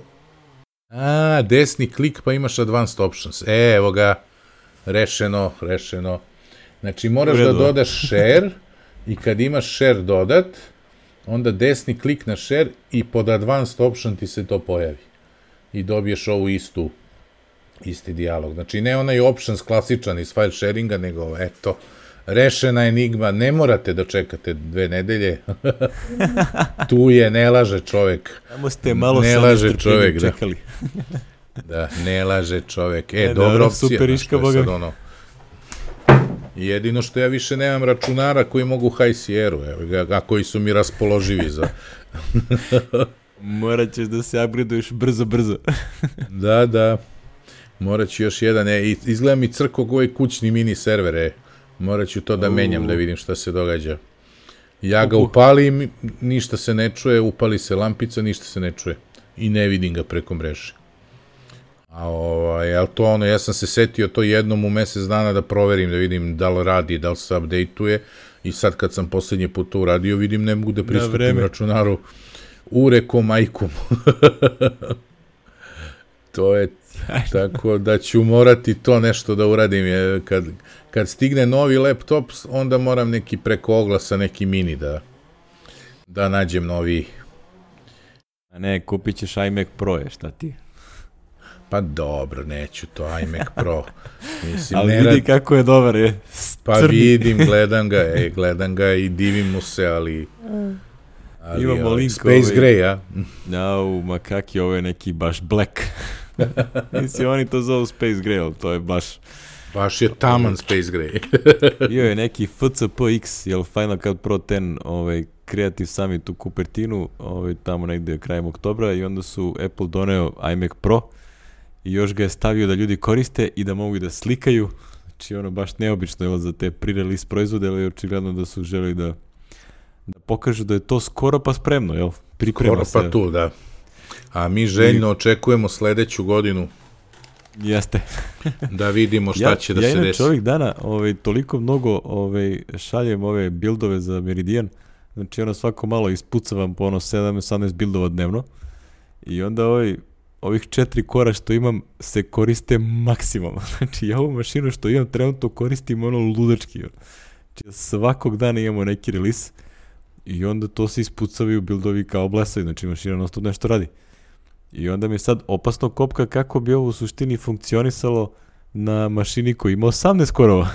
S2: Desni klik pa imaš advanced options. Evo ga. Rešeno. Znači, moraš da dodaš share i kad imaš share dodat, onda desni klik na share i pod advanced option ti se to pojavi. I dobiješ ovu isti dijalog. Znači, ne onaj options klasičan iz file sharinga, nego, eto, rešena enigma, ne morate da čekate 2 nedelje. Tu je, ne laže čovek.
S1: Tamo ste malo sa nestrpljenjem čekali.
S2: Da, ne laže čovek. Dobra opcija.
S1: Super iška, boga.
S2: Jedino što ja više nemam računara koji mogu High Sierra, a koji su mi raspoloživi za...
S1: Morat ćeš da se upgradeuješ brzo.
S2: Da. Morat ću još jedan, izgleda mi crkog ovaj kućni mini server, morat ću to da menjam, da vidim šta se događa. Ja ga upalim, ništa se ne čuje, upali se lampica, ništa se ne čuje. I ne vidim ga preko mreže. Ali to ono, ja sam se setio to jednom u mesec dana da proverim, da vidim da li radi, da li se update-uje. I sad kad sam poslednji put to uradio, vidim ne mogu da pristupim računaru urekom majkom. To je tako da ću morati to nešto da uradim. Kad stigne novi laptop, onda moram neki preko oglasa, neki mini da nađem novi.
S1: A ne, kupit ćeš iMac Pro, šta ti?
S2: Pa dobro, neću to, iMac Pro. Mislim,
S1: ali vidi kako je dobar, je.
S2: Pa vidim, gledam ga i divim mu se, ali
S1: imamo link
S2: Space Gray, a?
S1: Ma kak je ovo neki baš black. Mislim, oni to zovu Space Gray, ali to je baš...
S2: Baš je taman Space Gray.
S1: Bio je neki FCPX, jel Final Cut Pro 10, Creative Summit u Cupertinu, tamo negde krajem oktobra, i onda su Apple doneo iMac Pro i još ga je stavio da ljudi koriste i da mogu da slikaju. Znači, baš neobično je za te pre-release proizvode, ali očigledno da su želi da pokažu da je to skoro pa spremno, jel? Priprema se.
S2: Skoro pa tu, da. A mi željno očekujemo sledeću godinu.
S1: Jeste.
S2: Da vidimo šta će da se desi.
S1: Ja inače ovih dana toliko mnogo šaljem ove bildove za Meridian, znači svako malo ispucavam po 7-18 bildova dnevno i onda ovih 4 kora što imam se koriste maksimalno. Znači ja ovu mašinu što imam trenutno koristim ludački. Znači svakog dana imamo neki release i onda to se ispucavaju bildovi kao blesaju, znači mašina non stop nešto radi. I onda mi sad opasno kopka kako bi ovo u suštini funkcionisalo na mašini koji ima 18 korova.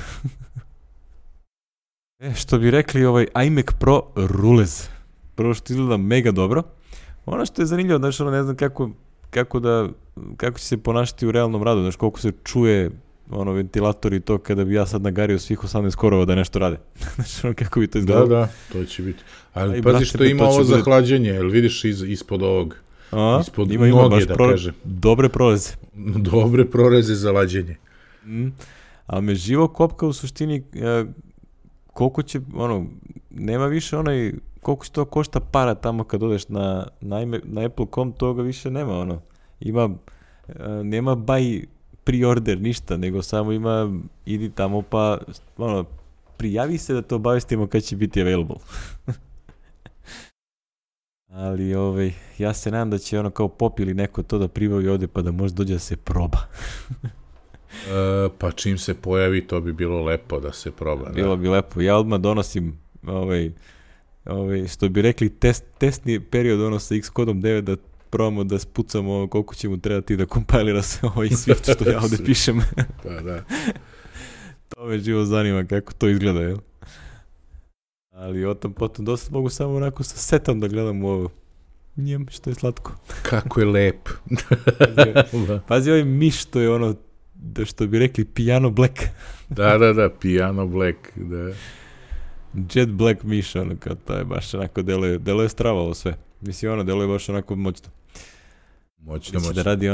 S1: Što bi rekli, iMac Pro rulez. Prvo što izgleda mega dobro. Ono što je zanimljivo, znači ne znam kako će se ponašati u realnom radu, znači koliko se čuje ventilator i to kada bi ja sad nagario svih 18 korova da nešto rade. Znači kako bi to izgledalo.
S2: Da, to će biti. Ali pazi što ima ovo za hlađenje, jel vidiš ispod ovog? Ispod noge, da kažem.
S1: Dobre proreze.
S2: Dobre proreze za lađenje.
S1: Ali me živo kopka u suštini koliko će, nema više koliko će to košta para tamo kad odeš na Apple.com, toga više nema, nema buy pre-order ništa, nego samo ima idi tamo pa, prijavi se da te obavestimo kad će biti available. Ali ja se nadam da će kao Pop ili neko to da pribavi ovde pa da možda dođe da se proba.
S2: Pa čim se pojavi to bi bilo lepo da se proba.
S1: Bilo bi lepo. Ja odmah donosim što bi rekli testni period sa Xcode 9 da probamo da spucamo koliko će mu trebati da kompilira se Swift što ja ovde pišem.
S2: Pa da.
S1: To me živo zanima kako to izgleda, jel? Ali potom dosta mogu samo onako sa setom da gledam ovo. Njem, što je slatko.
S2: Kako je lep.
S1: Pazi miš, to je što bi rekli piano black.
S2: Da, piano black, da.
S1: Jet black miš, kao to je baš onako deluje strava ovo sve. Mislim, deluje baš onako moćno.
S2: Moćno.
S1: Da radi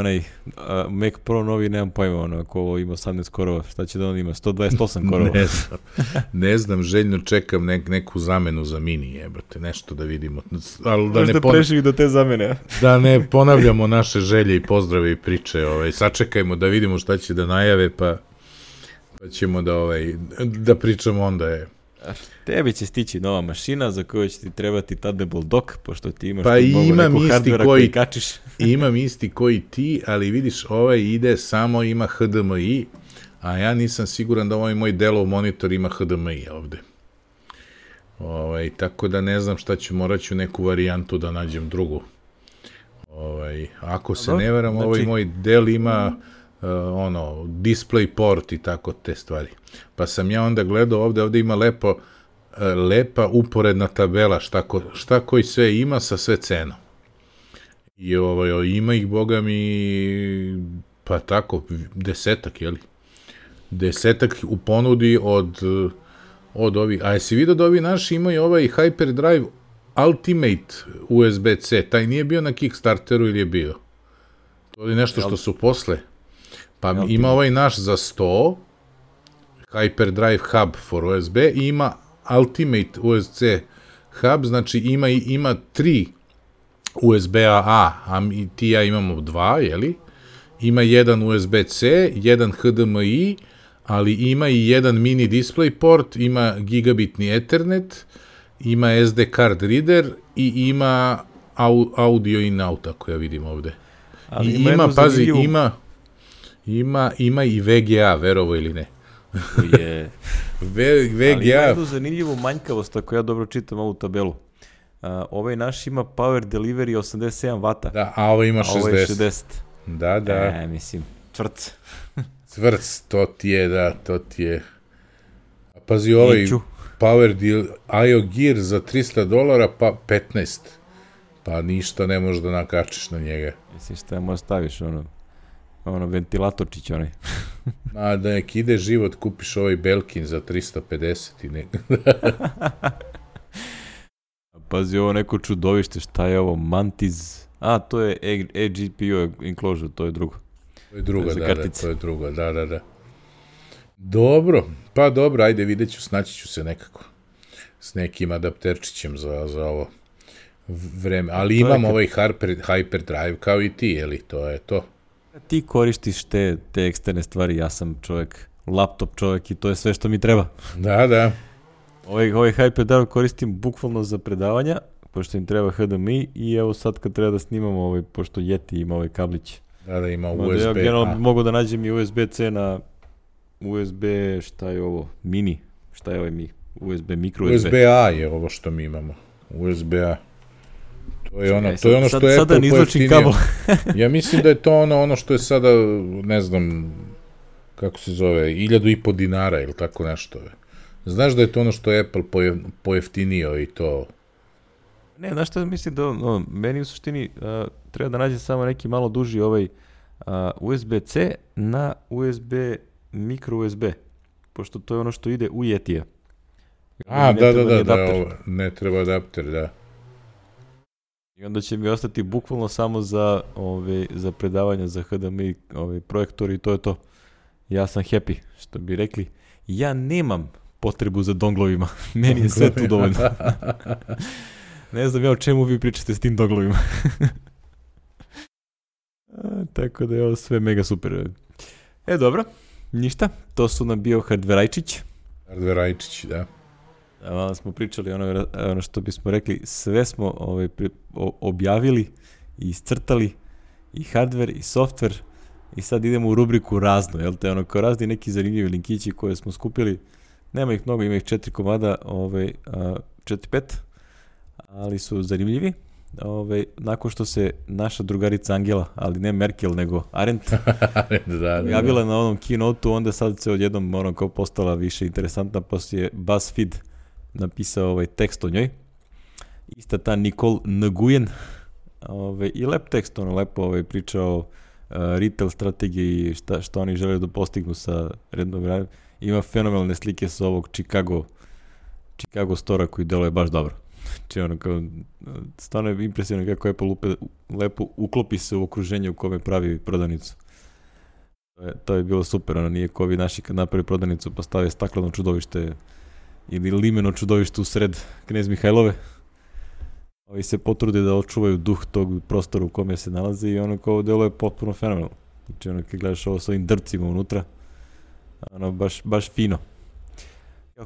S1: Mac Pro novi, nemam pojma, ako ovo ima 18 korova, šta će da on ima? 128 korova.
S2: Ne znam, željno čekam neku zamenu za mini, jebate, nešto da vidimo.
S1: Možda prešli do te zamene.
S2: Da ne ponavljamo naše želje i pozdrave i priče, sačekajmo da vidimo šta će da najave, pa ćemo da pričamo onda
S1: Tebi će stići nova mašina za koju će ti trebati Thunderbolt dock, pošto ti imaš
S2: neku
S1: hardvera koji kačiš.
S2: Imam isti koji ti, ali vidiš, ima HDMI, A ja nisam siguran da ovaj moj Dellov monitor ima HDMI ovde. Tako da ne znam šta ću, morat ću neku varijantu da nađem drugu. Ako se ne veram, ovaj moj Dell ima display port i tako te stvari. Pa sam ja onda gledao ovde ima lepa uporedna tabela šta koji sve ima sa sve cenom. I ima ih, boga mi, pa tako, 10-ak, jeli? 10-ak u ponudi od ovih. A jesi vidio da ovi naši imaju ovaj Hyperdrive Ultimate USB-C, taj nije bio na Kickstarteru ili je bio? To je nešto što su posle. Pa ima ovaj naš za 100, Hyperdrive Hub for USB, i ima Ultimate USB-C hub, znači ima 3 USB-A, a ti ja imamo 2, jeli? Ima jedan USB-C, jedan HDMI, ali ima i jedan mini display port, ima gigabitni Ethernet, ima SD card reader i ima audio in out, ako ja vidim ovde. I ima i VGA, verovo ili ne.
S1: VGA. Ali ima jednu zanimljivu manjkavost, ako ja dobro čitam ovu tabelu. Ovaj naš ima power delivery 87 W.
S2: Da, a ovo ima 60.
S1: Ovo je 60.
S2: Da.
S1: Mislim, tvrc.
S2: Tvrc, to ti je. Pazi, ovaj power deal, IO Gear za $300, pa 15. Pa ništa ne možeš da nakačiš na njega.
S1: Mislim, šta možeš staviš, ventilatorčić onaj.
S2: A da nek ide život, kupiš ovaj Belkin za 350 i nek.
S1: Pazi, ovo neko čudovište, šta je ovo? Mantis. To je eGPU enclosure, to je drugo.
S2: To je drugo, da. Dobro, ajde, vidjet ću, snaći ću se nekako. S nekim adapterčićem za ovo vreme. Ali imam ovaj Hyperdrive kao i ti, jeli, to je to.
S1: Ti koristiš te eksterne stvari, ja sam čovjek, laptop čovjek i to je sve što mi treba.
S2: Da.
S1: Ovaj Hyperdrive koristim bukvalno za predavanja, pošto im treba HDMI, i evo sad kad treba da snimamo, pošto Yeti ima ovaj kablić.
S2: Da, ima USB-A.
S1: Ja generalno mogu da nađem i USB-C na USB, šta je ovo, mini, šta je ovaj USB, micro USB.
S2: USB-A je ovo što mi imamo, USB-A. To je ono što je
S1: Apple pojeftinio.
S2: Ja mislim da je to ono što je sada, ne znam, kako se zove, 1.500 dinara ili tako nešto. Znaš da je to ono što je Apple pojeftinio i to?
S1: Ne, znaš što mislim da meni u suštini treba da nađe samo neki malo duži ovaj USB-C na USB micro USB, pošto to je ono što ide u Yetija.
S2: Da, ne treba adapter, da.
S1: I onda će mi ostati bukvalno samo za predavanja, za HDMI projektor i to je to. Ja sam happy, što bi rekli. Ja nemam potrebu za donglovima. Meni je sve tu dovoljno. Ne znam ja o čemu vi pričate s tim donglovima. Tako da je ovo sve mega super. Dobro, ništa. To su nam bio hardverajčić.
S2: Hardverajčić, da.
S1: Malo smo pričali ono što bismo rekli, sve smo objavili i iscrtali, i hardware i software, i sad idemo u rubriku razno, jel te, kao razni neki zanimljivi linkići koje smo skupili, nema ih mnogo, ima ih 4 komada, 4-5, ali su zanimljivi. Nakon što se naša drugarica Angela, ali ne Merkel nego Arendt, javila na onom keynote-u, onda sad se odjednom kao postala više interesantna, poslije BuzzFeed napisao tekst o njoj. Ista ta Nicole Nguyen, i lep tekst, lepo pričao o retail strategiji, šta oni žele da postignu sa rednom gradom. Ima fenomenalne slike sa ovog Chicago Stora koji deluje baš dobro. Znači stvarno je impresivno kako Apple lepo uklopi se u okruženje u kome pravi prodavnicu. To je bilo super, nije ko ovi naši kad napravi prodavnicu pa stave stakleno čudovište ili limeno čudovište u sred Knez Mihajlove. Ovi se potrude da očuvaju duh tog prostora u kome se nalaze i kao deluje potpuno fenomenalno. Znači kad gledaš ovo s ovim drvcima unutra, baš fino.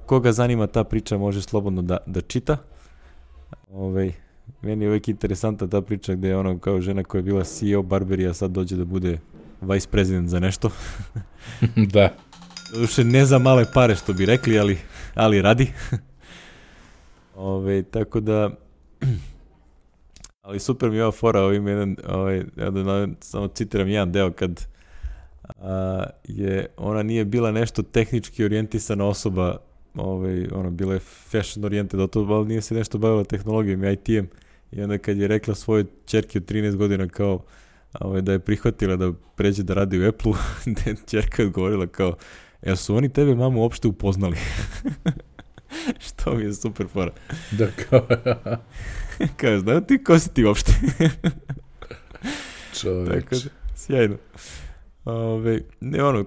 S1: Koga zanima ta priča može slobodno da čita. Meni je uvijek interesantna ta priča gde je kao žena koja je bila CEO Barberija sad dođe da bude vice president za nešto.
S2: Da.
S1: Doduše ne za male pare što bi rekli, ali radi. Tako da, ali super mi je ova fora, samo citiram jedan deo kad ona nije bila nešto tehnički orijentisana osoba, bila je fashion orijented, ali nije se nešto bavila tehnologijom i IT-em, i onda kad je rekla svojoj ćerki od 13 godina kao da je prihvatila da pređe da radi u Apple-u, da je ćerka odgovorila kao, jel su oni tebe, mamu, uopšte upoznali? Što mi je super fora.
S2: Da, kao...
S1: Kao, znaju ti, ko si ti uopšte?
S2: Čovječ.
S1: Tako da, sjajno.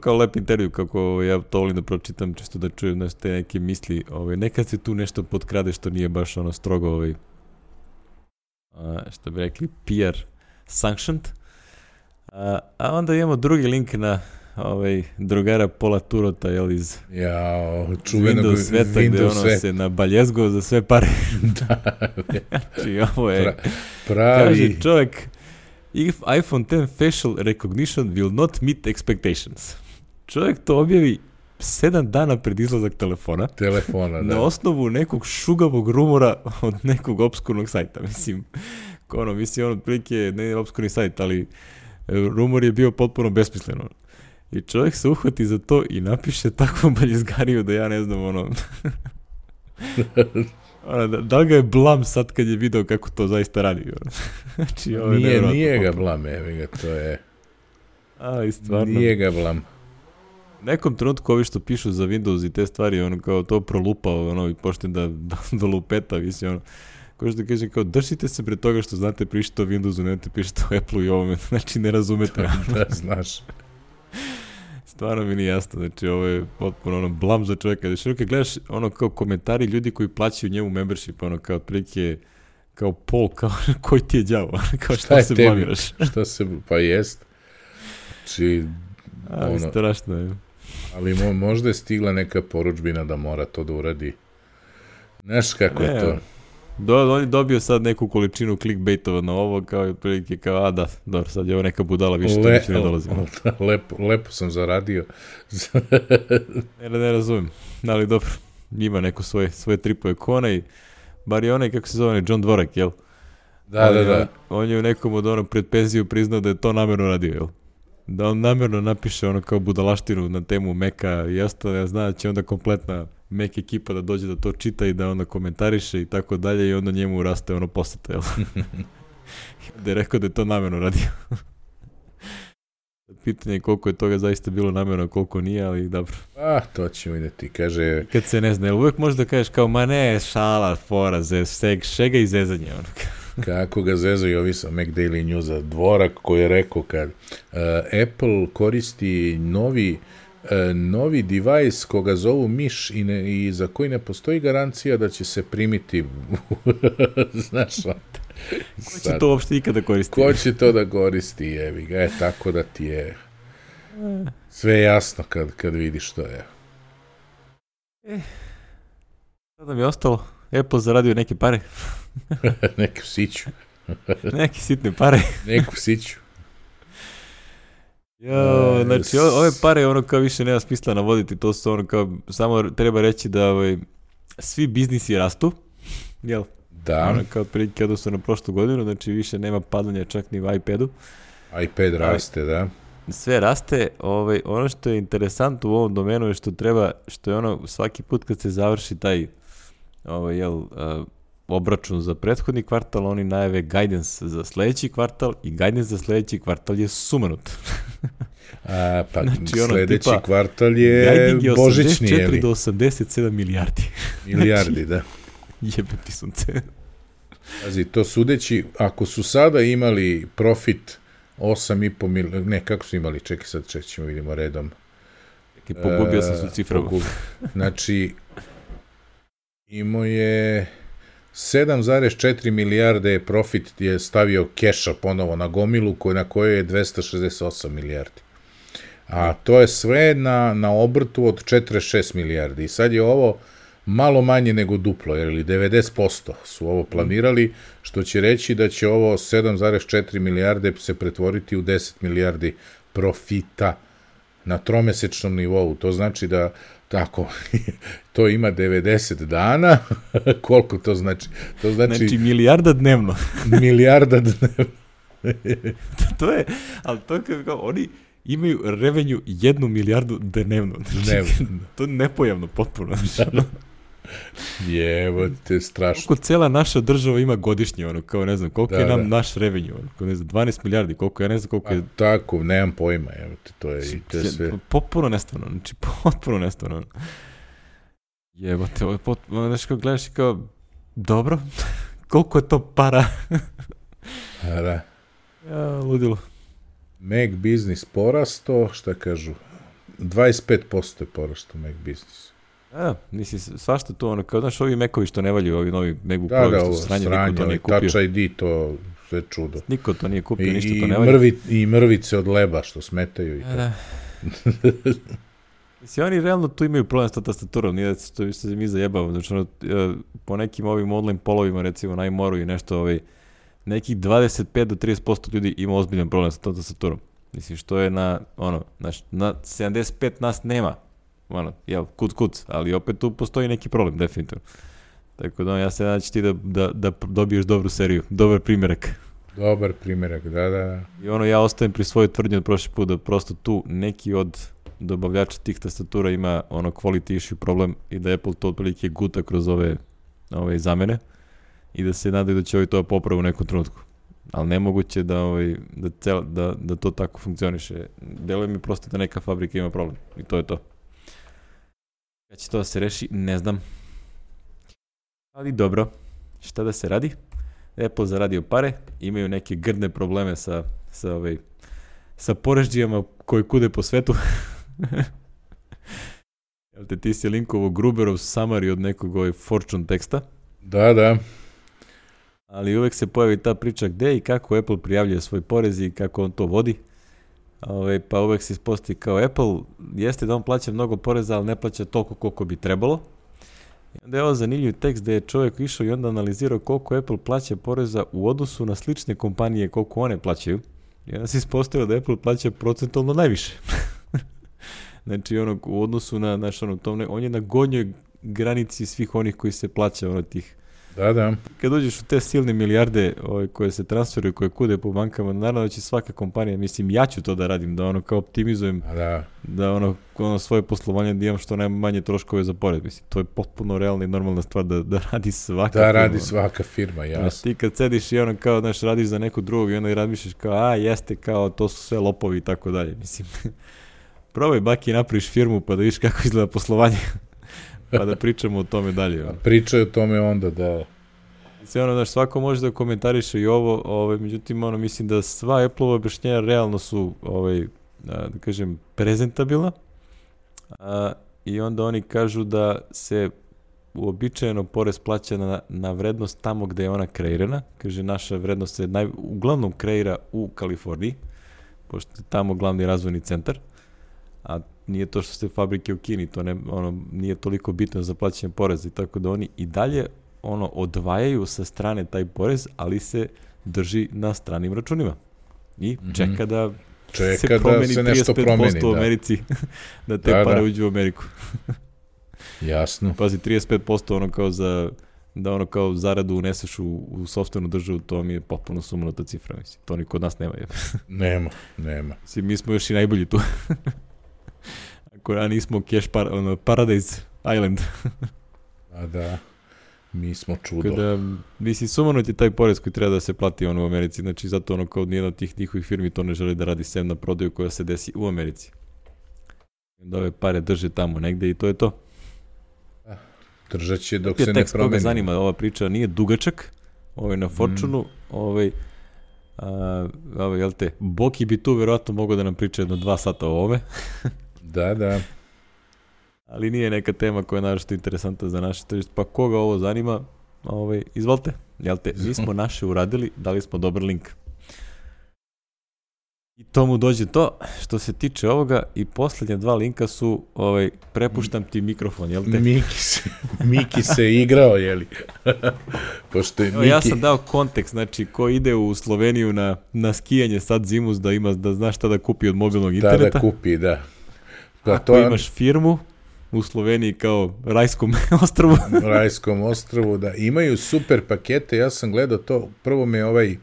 S1: Kao lep intervju, kako ja to volim da pročitam, čisto da čujem te neke misli. Nekad se tu nešto potkrade što nije baš strogo, što bi rekli, PR sanctioned. A onda imamo drugi link na drugara Pola Turota, iz
S2: čuvenog
S1: Windows sveta, gde se nabaljezgo za sve pare. Znači, ovo je,
S2: pravi.
S1: Kaže čovjek, if iPhone 10 facial recognition will not meet expectations. Čovjek to objavi 7 dana pred izlazak telefona,
S2: da.
S1: Na osnovu nekog šugavog rumora od nekog obskurnog sajta. Mislim, otprilike ne obskurni sajt, ali rumor je bio potpuno besmisleno. I čovjek se uhvati za to i napiše takvu baljezgariju da ja ne znam, da li ga je blam sad kad je video kako to zaista radi? Znači,
S2: nije ga blam, to je...
S1: Ali stvarno...
S2: Nije ga blam.
S1: Nekom trenutku ovi što pišu za Windows i te stvari, kao to prolupao, i počne da lupeta, ko što kaže, kao, držite se pred toga što znate pišete o Windowsu, nemate pišete o Apple-u i ovome, znači ne razumete.
S2: Da, znaš.
S1: Stvarno mi nije jasno, znači ovo je potpuno blam za čovjeka. Znači, kad gledaš kao komentari ljudi koji plaćaju njemu membership, kao otprilike, kao Pol, kao koji ti je đavo, kao šta se blamiraš.
S2: Pa jest. Znači,
S1: strašno je.
S2: Ali možda je stigla neka poručbina da mora to da uradi. Znaš kako je to?
S1: On je dobio sad neku količinu clickbaitova na ovo, kao i prilike, kao, da, dobro, sad je ovo neka budala, više to neće ne dolazi.
S2: Lepo sam zaradio.
S1: Ne razumem, ali dobro, ima neko svoje tripove kona i bar je onaj, kako se zove, John Dvorak, jel?
S2: Da.
S1: On je u nekom od pred penziju priznao da je to namjerno radio, jel? Da on namjerno napiše kao budalaštinu na temu Maca i ostalo, ja znam da će onda kompletna Mac ekipa da dođe da to čita i da onda komentariše i tako dalje i onda njemu raste poseta, jel? Da je rekao da je to namjerno radio. Pitanje je koliko je toga zaista bilo namjerno, koliko nije, ali dobro.
S2: To ćemo vidjeti, kaže...
S1: Kad se ne zna, jel uvijek možeš da kažeš kao, ma ne, šala, fora, šega i zezanje,
S2: Kako ga zezaju ovi sa Mac Daily Newsa, Dvorak koji je rekao kad Apple koristi novi device koga zovu miš i za koji ne postoji garancija da će se primiti. Znaš,
S1: ko će to uopšte ikada koristiti?
S2: Ko će to da koristi, jevi ga, tako da ti je sve jasno kad vidiš što je.
S1: Sada mi je ostalo, Apple zaradio neke pare.
S2: Neku siću.
S1: Neke sitne pare.
S2: Neku siću.
S1: Znači, ove pare kao više nema smisla navoditi, to su kao, samo treba reći da svi biznisi rastu, jel?
S2: Da.
S1: Kao prilike odnosno na prošlu godinu, znači više nema padanja čak ni u iPadu.
S2: iPad raste, da.
S1: Sve raste, ono što je interesantno u ovom domenu je što je svaki put kad se završi taj obračun za prethodni kvartal, oni najave guidance za sledeći kvartal i guidance za sledeći kvartal je sumanut.
S2: Znači, sledeći kvartal je božićni, je
S1: 84 do 87 milijardi.
S2: Milijardi, da.
S1: Jebeti sunce.
S2: Pazi, to sudeći, ako su sada imali profit 8,5 milijardi, ne, kako su imali, čekaj sad, ćemo vidimo redom.
S1: Pogubio sam su cifravo.
S2: Znači, imao je 7,4 milijarde profit je stavio keša ponovo na gomilu na kojoj je 268 milijardi. A to je sve na obrtu od 46 milijardi. I sad je ovo malo manje nego duplo, jer 90% su ovo planirali, što će reći da će ovo 7,4 milijarde se pretvoriti u 10 milijardi profita na tromesečnom nivou. To znači da tako, to ima 90 dana. Koliko to znači? To
S1: znači milijarda dnevno.
S2: Milijarda dnevno.
S1: To je, ali to je kao, oni imaju revenju 1 milijardu dnevno. Znači, to je nepojavno potpuno.
S2: Jebote, strašno.
S1: Koliko cela naša država ima godišnje, ono, kao ne znam, koliko je nam naš revenju, ono, kao ne znam, 12 milijardi, koliko, ja ne znam koliko je...
S2: Tako, nemam pojma, jebote, to je i te sve...
S1: Potpuno nestvarno, znači, potpuno nestvarno. Jebote, ovo je potpuno, znači, kao gledaš i kao, dobro, koliko je to para?
S2: Da.
S1: Ja, ludilo.
S2: Mac Business porasto, šta kažu, 25% je porasto Mac Business.
S1: Da, misli, svašta to, ono, kao, znaš, ovi Macovi što ne valju, ovi novi MacBook Pro, što sranje, niko to nije kupio.
S2: Touch ID, to sve čudo.
S1: Niko to nije kupio, ništa to ne valju.
S2: I mrvice od leba što smetaju. I
S1: da. Mislim, oni realno tu imaju problem s to tastaturom, nije da se mi zajebamo, znači, ono, po nekim ovim online polovima, recimo, na iMoru i nešto, nekih 25 do 30% ljudi ima ozbiljan problem sa tom tastaturom. Mislim, što je na 75 nas nema. Jel, kuc, ali opet tu postoji neki problem, definitivno. Tako da ja se nadam ti da dobiješ dobru seriju, dobar primjerak.
S2: Dobar primjerak, da.
S1: I ja ostajem pri svojoj tvrdnji od prošli put da prosto tu neki od dobavljača tih tastatura ima quality issue problem i da Apple to otprilike guta kroz ove zamene i da se nadaju da će ovi to popravu u nekom trenutku. Ali nemoguće da to tako funkcioniše. Deluje mi prosto da neka fabrika ima problem i to je to. Kad će to da se reši, ne znam. Ali dobro, šta da se radi? Apple zaradio pare, imaju neke grdne probleme sa porežđijama koji kude po svetu. Jel te ti si linkovo Gruberov summary od nekog Fortune teksta?
S2: Da.
S1: Ali uvek se pojavi ta priča gde i kako Apple prijavljuje svoj porez i kako on to vodi. Pa uvek se ispostavi kao Apple, jeste da on plaća mnogo poreza, ali ne plaća toliko koliko bi trebalo. I onda je ovo zanimljiv tekst gde je čovjek išao i onda analizirao koliko Apple plaća poreza u odnosu na slične kompanije, koliko one plaćaju. I onda se ispostavio da Apple plaća procentualno najviše. Znači, u odnosu na, on je na gornjoj granici svih onih koji se plaća tih.
S2: Da.
S1: Kad uđeš u te silne milijarde koje se transferuju, koje kude po bankama, naravno da će svaka kompanija, mislim, ja ću to da radim, da kao optimizujem, da svoje poslovanje da imam što najmanje troškove za porez. Mislim, to je potpuno realna i normalna stvar da radi svaka firma.
S2: Da radi svaka firma, jasno.
S1: Ti kad sediš i kao, radiš za nekog drugog i onda i razmišljaš kao, jeste, kao, to su sve lopovi i tako dalje. Mislim, probaj baki napraviš firmu pa da vidiš kako izgleda poslovanje. Pa da pričamo o tome dalje.
S2: Pričaju o tome onda, da.
S1: Mislim, svako može da komentariše i ovo, međutim, mislim da sva Apple-ova objašnjenja realno su, da kažem, prezentabilna. I onda oni kažu da se uobičajeno porez plaća na vrednost tamo gde je ona kreirana. Kaže, naša vrednost se uglavnom kreira u Kaliforniji, pošto je tamo glavni razvojni centar. A nije to što ste fabrike u Kini, to nije toliko bitno za plaćanje poreza i tako da oni i dalje odvajaju sa strane taj porez, ali se drži na stranim računima. I čeka da se promeni 35% u Americi, da te pare uđu u Ameriku.
S2: Jasno.
S1: Pazi, 35% kao zaradu uneseš u sopstvenu državu, to mi je potpuno sumanuta cifra, mislim. To ni kod nas nema.
S2: Nema.
S1: Mislim, mi smo još i najbolji tu. Ako nismo Cash Paradise Island.
S2: Da, mi smo čudo.
S1: Kada, mislim, sumanut je taj porez koji treba da se plati u Americi, znači zato kao nijedna od tih njihovih firmi to ne želi da radi sem na prodaju koja se desi u Americi. Da ove pare drže tamo negde i to je to.
S2: Držat će dok se ne promeni.
S1: Koga zanima, ova priča nije dugačak, na Fortune-u, jel te, Boki bi tu verovatno mogao da nam priča jedno 2 sata o ovome.
S2: Da.
S1: Ali nije neka tema koja je naročito interesantna za naše tržište, pa koga ovo zanima, izvolite, jel te, mi smo naše uradili, dali smo dobar link. I tomu dođe to, što se tiče ovoga, i posljednja 2 linka su, prepuštam ti mikrofon, jel te?
S2: Miki se igrao, jeli? Pošto je Miki...
S1: Ja sam dao kontekst, znači, ko ide u Sloveniju na skijanje sad zimus, da zna šta da kupi od mobilnog interneta.
S2: Da kupi, da.
S1: Ako imaš firmu u Sloveniji kao Rajskom ostrvu.
S2: Rajskom ostrvu, da. Imaju super pakete, ja sam gledao to, prvo me ovaj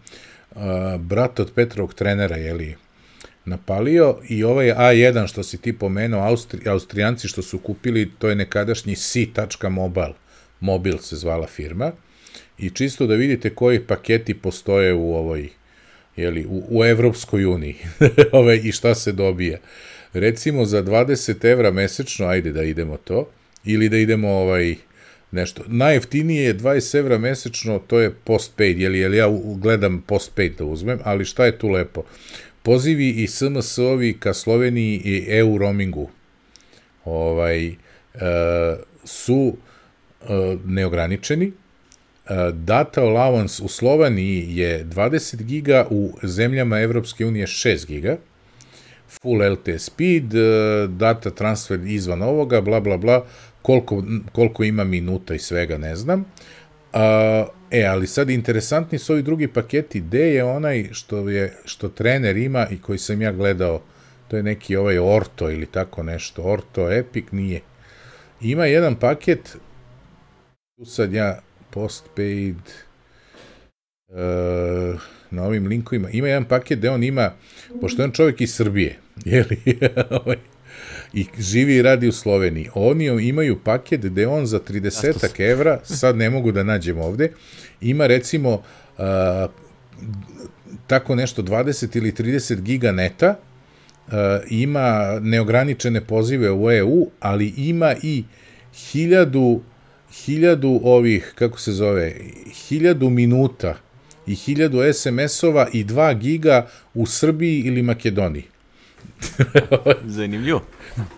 S2: brat od Petrovog trenera, napalio, i ovaj A1 što si ti pomenuo, Austrijanci što su kupili, to je nekadašnji C.Mobile, Mobil se zvala firma, i čisto da vidite koji paketi postoje u ovoj, u Evropskoj uniji, i šta se dobija. Recimo za 20 evra mesečno, ajde da idemo to, ili da idemo nešto. Najjeftinije je 20 evra mesečno, to je postpaid, jer ja gledam postpaid da uzmem, ali šta je tu lepo? Pozivi i SMS-ovi ka Sloveniji i EU roamingu su neograničeni. Data allowance u Sloveniji je 20 giga, u zemljama Evropske unije 6 giga. Full LTE speed, data transfer izvan ovoga, bla, bla, bla, koliko ima minuta i svega, ne znam. Ali sad interesantni su ovi drugi paketi, gde je onaj što trener ima i koji sam ja gledao, to je neki Orto ili tako nešto, Orto Epic, nije. Ima jedan paket, tu sad ja postpaid, na ovim linkovima, ima jedan paket gde on ima, pošto je on čovjek iz Srbije, i živi i radi u Sloveniji, oni imaju paket gde on za 30 evra, sad ne mogu da nađem ovde, ima recimo tako nešto 20 ili 30 giga neta, ima neograničene pozive u EU, ali ima i 1000 ovih, kako se zove, 1000 minuta i 1000 SMS-ova i 2 giga u Srbiji ili Makedoniji.
S1: Zanimljivo.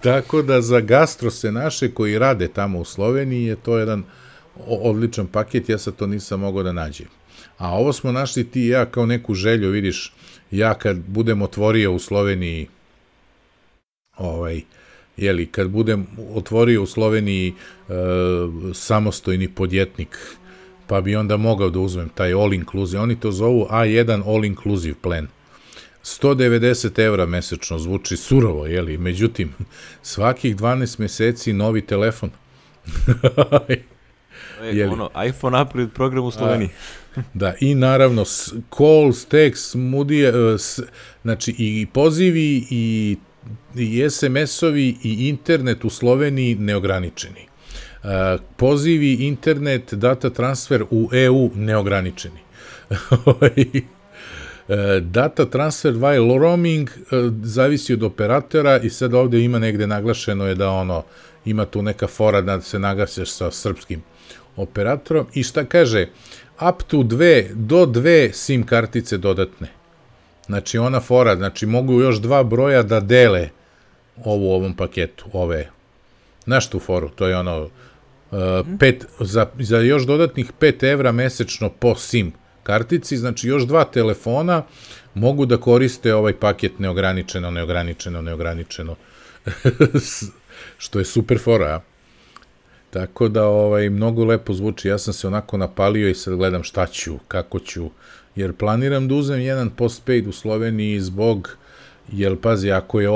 S2: Tako da za gastrose naše koji rade tamo u Sloveniji je to jedan odličan paket, ja sad to nisam mogao da nađem. A ovo smo našli ti i ja kao neku želju, vidiš, ja kad budem otvorio u Sloveniji kad budem otvorio u Sloveniji samostojni podjetnik, pa bi onda mogao da uzmem taj all inclusive, oni to zovu A1 all inclusive plan. 190 evra mesečno, zvuči surovo, međutim, svakih 12 meseci novi telefon.
S1: iPhone upgrade program u Sloveniji.
S2: Da, i naravno, calls, text, znači i pozivi i SMS-ovi i internet u Sloveniji neograničeni. Pozivi, internet, data transfer u EU neograničeni. Data transfer while roaming zavisi od operatora i sad ovde ima negde naglašeno je da ima tu neka fora da se nagaseš sa srpskim operatorom i šta kaže, up to 2 SIM kartice dodatne. Znači ona fora, znači mogu još 2 broja da dele u ovom paketu, znaš tu foru, to je za još dodatnih 5 evra mesečno po SIM kartici, znači još 2 telefona mogu da koriste ovaj paket neograničeno, što je super fora, tako da mnogo lepo zvuči, ja sam se onako napalio i sad gledam šta ću, kako ću, jer planiram da uzem jedan postpaid u Sloveniji jer pazi, ako je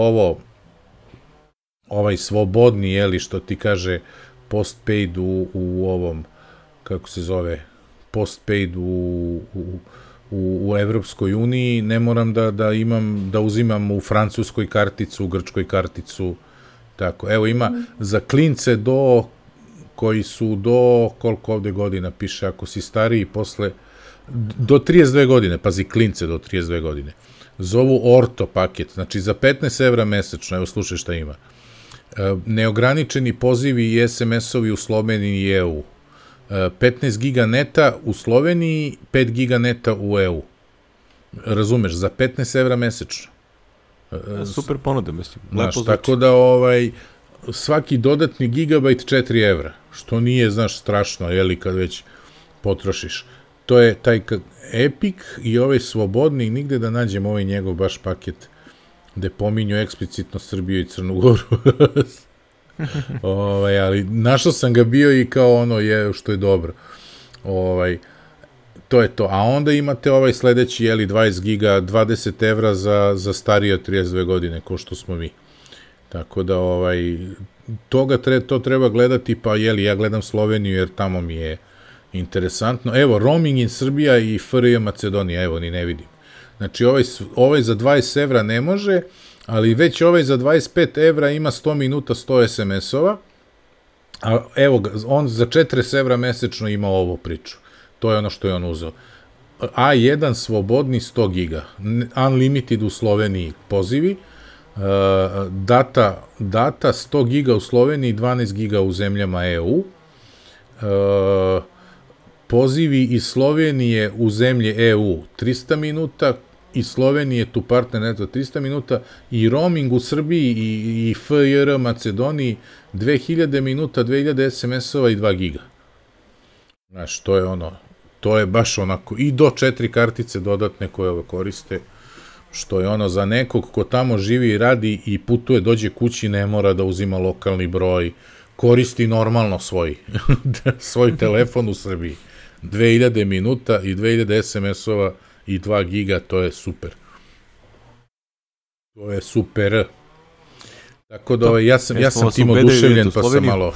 S2: ovaj svobodni, što ti kaže postpaid u ovom, kako se zove, postpaid u Evropskoj uniji, ne moram da uzimam u francuskoj karticu, u grčkoj karticu, tako. Evo ima za klince koji su koliko ovde godina piše, ako si stariji do 32 godine, pazi, klince do 32 godine. Zovu Orto paket, znači za 15 evra mesečno, evo slušaj šta ima. Neograničeni pozivi i SMS-ovi u Sloveniji i EU. 15 giga neta u Sloveniji, 5 giga neta u EU. Razumeš, za 15 evra mesečno.
S1: Super ponude, mislim.
S2: Tako da svaki dodatni gigabajt 4 evra, što nije, strašno, kad već potrošiš. To je taj Epic i ovaj svobodni, nigde da nađem njegov baš paket gde pominju eksplicitno Srbiju i Crnu Goru. Ali našao sam ga bio i kao što je dobro. To je to. A onda imate sledeći, 20 giga, 20 evra za starije od 32 godine, ko što smo mi. Tako da, to treba gledati, pa ja gledam Sloveniju jer tamo mi je interesantno. Evo, roaming in Srbija i FRJ Macedonija, evo, ni ne vidim. Znači, ovaj za 20 evra ne može, ali već ovaj za 25 evra ima 100 minuta, 100 SMS-ova, a evo, on za 40 evra mesečno ima ovu priču. To je ono što je on uzeo. A1 slobodni 100 giga, unlimited u Sloveniji pozivi, data 100 giga u Sloveniji, 12 giga u zemljama EU, pozivi iz Slovenije u zemlje EU 300 minuta, iz Slovenije tu partner neto 300 minuta i roaming u Srbiji i FJR Macedoniji 2000 minuta, 2000 SMS-ova i 2 giga. Znaš, to je baš onako, i do 4 kartice dodatne koje ove koriste, što je ono za nekog ko tamo živi i radi i putuje, dođe kući, ne mora da uzima lokalni broj, koristi normalno svoj telefon u Srbiji. 2000 minuta i 2000 SMS-ova i 2 giga, to je super. To je super. Tako da ja sam tim oduševljen, pa sam malo,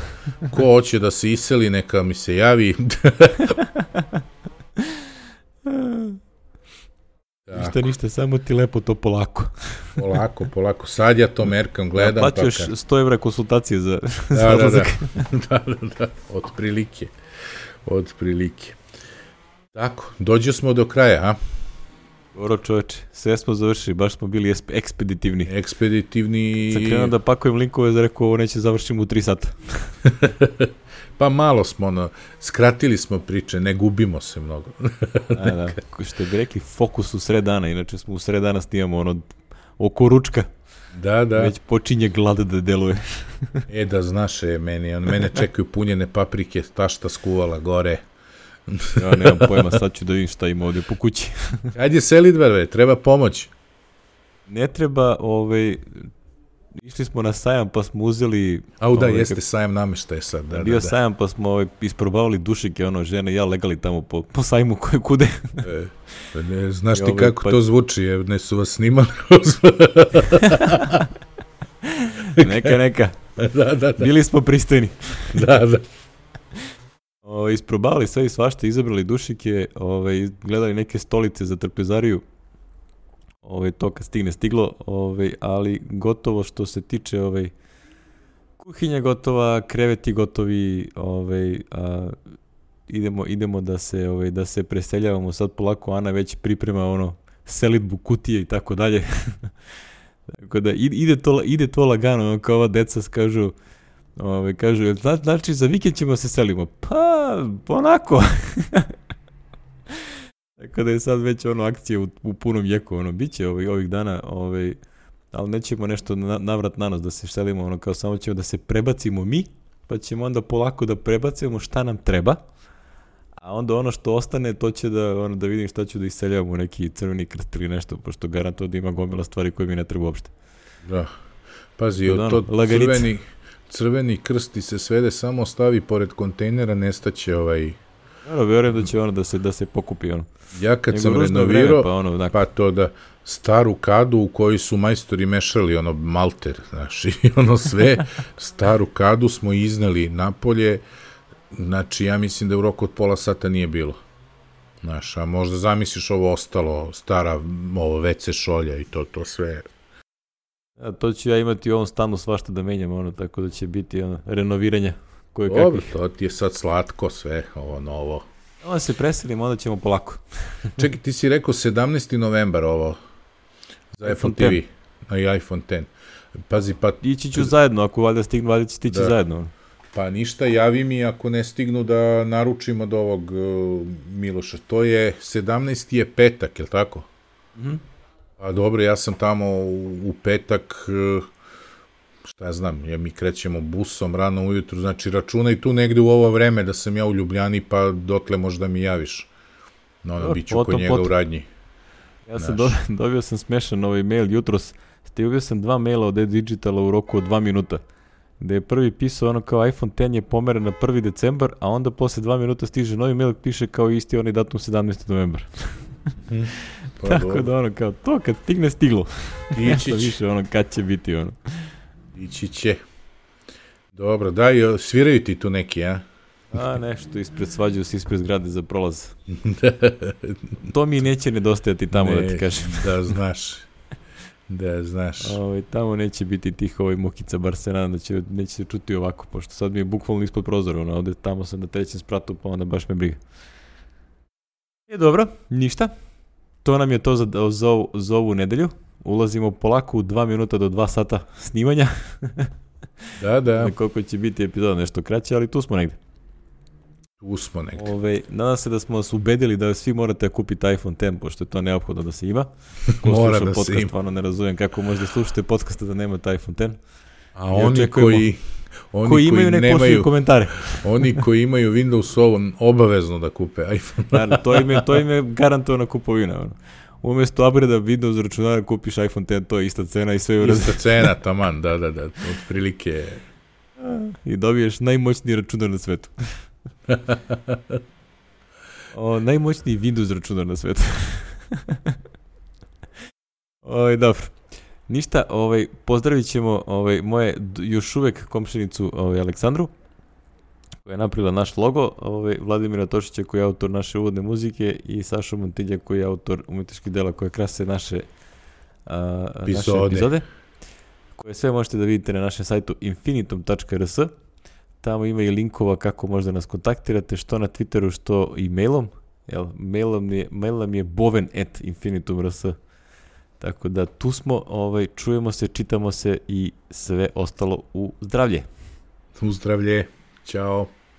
S2: ko hoće da se iseli, neka mi se javi.
S1: Ništa, samo ti lepo to polako.
S2: Polako. Sad ja to merkam, gledam.
S1: Ja plaćaš 100 evra konsultacije za odlazak.
S2: Da, otprilike. Tako, dođe smo do kraja, a?
S1: Dobro čoveče, sve smo završili, baš smo bili ekspeditivni. Sad krenuo da pakujem linkove, za rekao ovo neće završimo u 3 sata.
S2: Pa malo smo, skratili smo priče, ne gubimo se mnogo.
S1: Da, što bi rekli, fokus u sred dana, inače smo u sred dana snimamo oko ručka.
S2: Da.
S1: Već počinje glada da deluje.
S2: Da znaš, mene čekaju punjene paprike, tašta skuvala gore.
S1: Ja nemam pojma, sad ću da vidim šta ima ovdje po kući.
S2: Ajde selidbe, treba pomoć.
S1: Ne treba, išli smo na sajam pa smo uzeli...
S2: Jeste sajam nameštaje sad.
S1: Bio sajam pa smo isprobavali dušike, žene i ja legali tamo po sajmu koje kude.
S2: Znaš ti kako to zvuči, ne su vas snimali.
S1: Neka.
S2: Da.
S1: Bili smo pristojni.
S2: Da.
S1: Isprobavali sve i svašta, izabrali dušike, gledali neke stolice za trpezariju, to kad stigne stiglo, ali gotovo što se tiče kuhinja gotova, kreveti gotovi, idemo da se preseljavamo sad polako, Ana već priprema selidbu kutije i tako dalje. Tako da ide to lagano, kao ova deca kažu, znači za vikend ćemo se selimo. Pa, onako. Tako da je sad već akcija u punom jeku, biće ovih dana, ali nećemo nešto navrat na nos da se selimo, kao samo ćemo da se prebacimo mi, pa ćemo onda polako da prebacimo šta nam treba, a onda ono što ostane, to će da vidim šta ću da iseljavam u neki Crveni krst ili nešto, pošto garantuo da ima gomila stvari koje mi ne treba uopšte.
S2: Da, pazi, Crveni krst ti se svede, samo stavi pored kontejnera, nestaće
S1: Vjerujem da će da se pokupi
S2: Ja kad sam renovirao, pa to da staru kadu u kojoj su majstori mešali malter, znaš, i sve, staru kadu smo izneli napolje, znači ja mislim da u roku od pola sata nije bilo. Znaš, a možda zamisliš ovo ostalo, stara WC šolja i to sve.
S1: To ću ja imati u ovom stanu svašta da menjam, tako da će biti renoviranje.
S2: Dobro, to ti je sad slatko sve, ovo novo.
S1: Onda se preselimo, onda ćemo polako.
S2: Čekaj, ti si rekao 17. novembar ovo, za Apple TV, i iPhone X. Pazi, pa...
S1: Ići ću zajedno, ako valjda stignu, valjda će stići zajedno.
S2: Pa ništa, javi mi ako ne stignu da naručimo od ovog Miloša. To je, 17. je petak, je li tako? Pa dobro, ja sam tamo u petak... Šta ja znam, mi krećemo busom rano ujutru, znači računaj tu negde u ovo vreme da sam ja u Ljubljani, pa dotle možda mi javiš. Bit ću kod njega u radnji.
S1: Ja sam dobio sam smešan mail jutros, stigao sam 2 maila od e-Digitala u roku od 2 minuta, gde je prvi pisao kao iPhone X je pomeren na 1. decembar, a onda posle 2 minuta stiže novi mail, piše kao isti onaj datum 17. novembar. Tako da kao to kad stigne stiglo. Nešto više kad će biti
S2: Ići će. Dobro, daj, sviraju ti tu neki, a?
S1: A, nešto, svađaju se ispred zgrade za prolaz. To mi neće nedostajati tamo, da ti kažem.
S2: Da znaš.
S1: Tamo neće biti tih mukica, bar se nadam da neće se čuti ovako, pošto sad mi je bukvalno ispod prozora, ovde tamo sam na 3. spratu, pa onda baš me briga. Dobro, ništa. To nam je to za ovu nedelju. Ulazimo polako u 2 minuta do 2 sata snimanja.
S2: Da.
S1: Koliko će biti epizoda, nešto kraće, ali tu smo negde. Nadam se da smo vas ubedili da svi morate kupiti iPhone X, pošto je to neophodno da se ima. Ko
S2: mora
S1: sluša
S2: da
S1: podcast,
S2: se ima.
S1: stvarno ne razumijem kako možete slušati podcasta da nemate iPhone X.
S2: A oni koji
S1: imaju nek pošli komentare.
S2: Oni koji imaju Windows Phone obavezno da kupe iPhone.
S1: Naravno, to im je garantovana kupovina. Umesto upgrade Windows računara kupiš iPhone X, to je ista cena i sve je u
S2: Ista cena, taman, da, otprilike.
S1: I dobiješ najmoćniji računar na svetu. Najmoćniji Windows računar na svetu. Dobro. Ništa, pozdravit ćemo moje još uvek komšinicu Aleksandru, koja je napravila naš logo, Vladimira Tošića koji je autor naše uvodne muzike i Saša Montilja koji je autor umetničkih dela koje krase naše epizode, koje sve možete da vidite na našem sajtu infinitum.rs. Tamo ima i linkova kako možda nas kontaktirate, što na Twitteru, što i mailom. Mail nam je boven@infinitum.rs. Tako da tu smo, čujemo se, čitamo se i sve ostalo u zdravlje.
S2: U zdravlje. Ćao.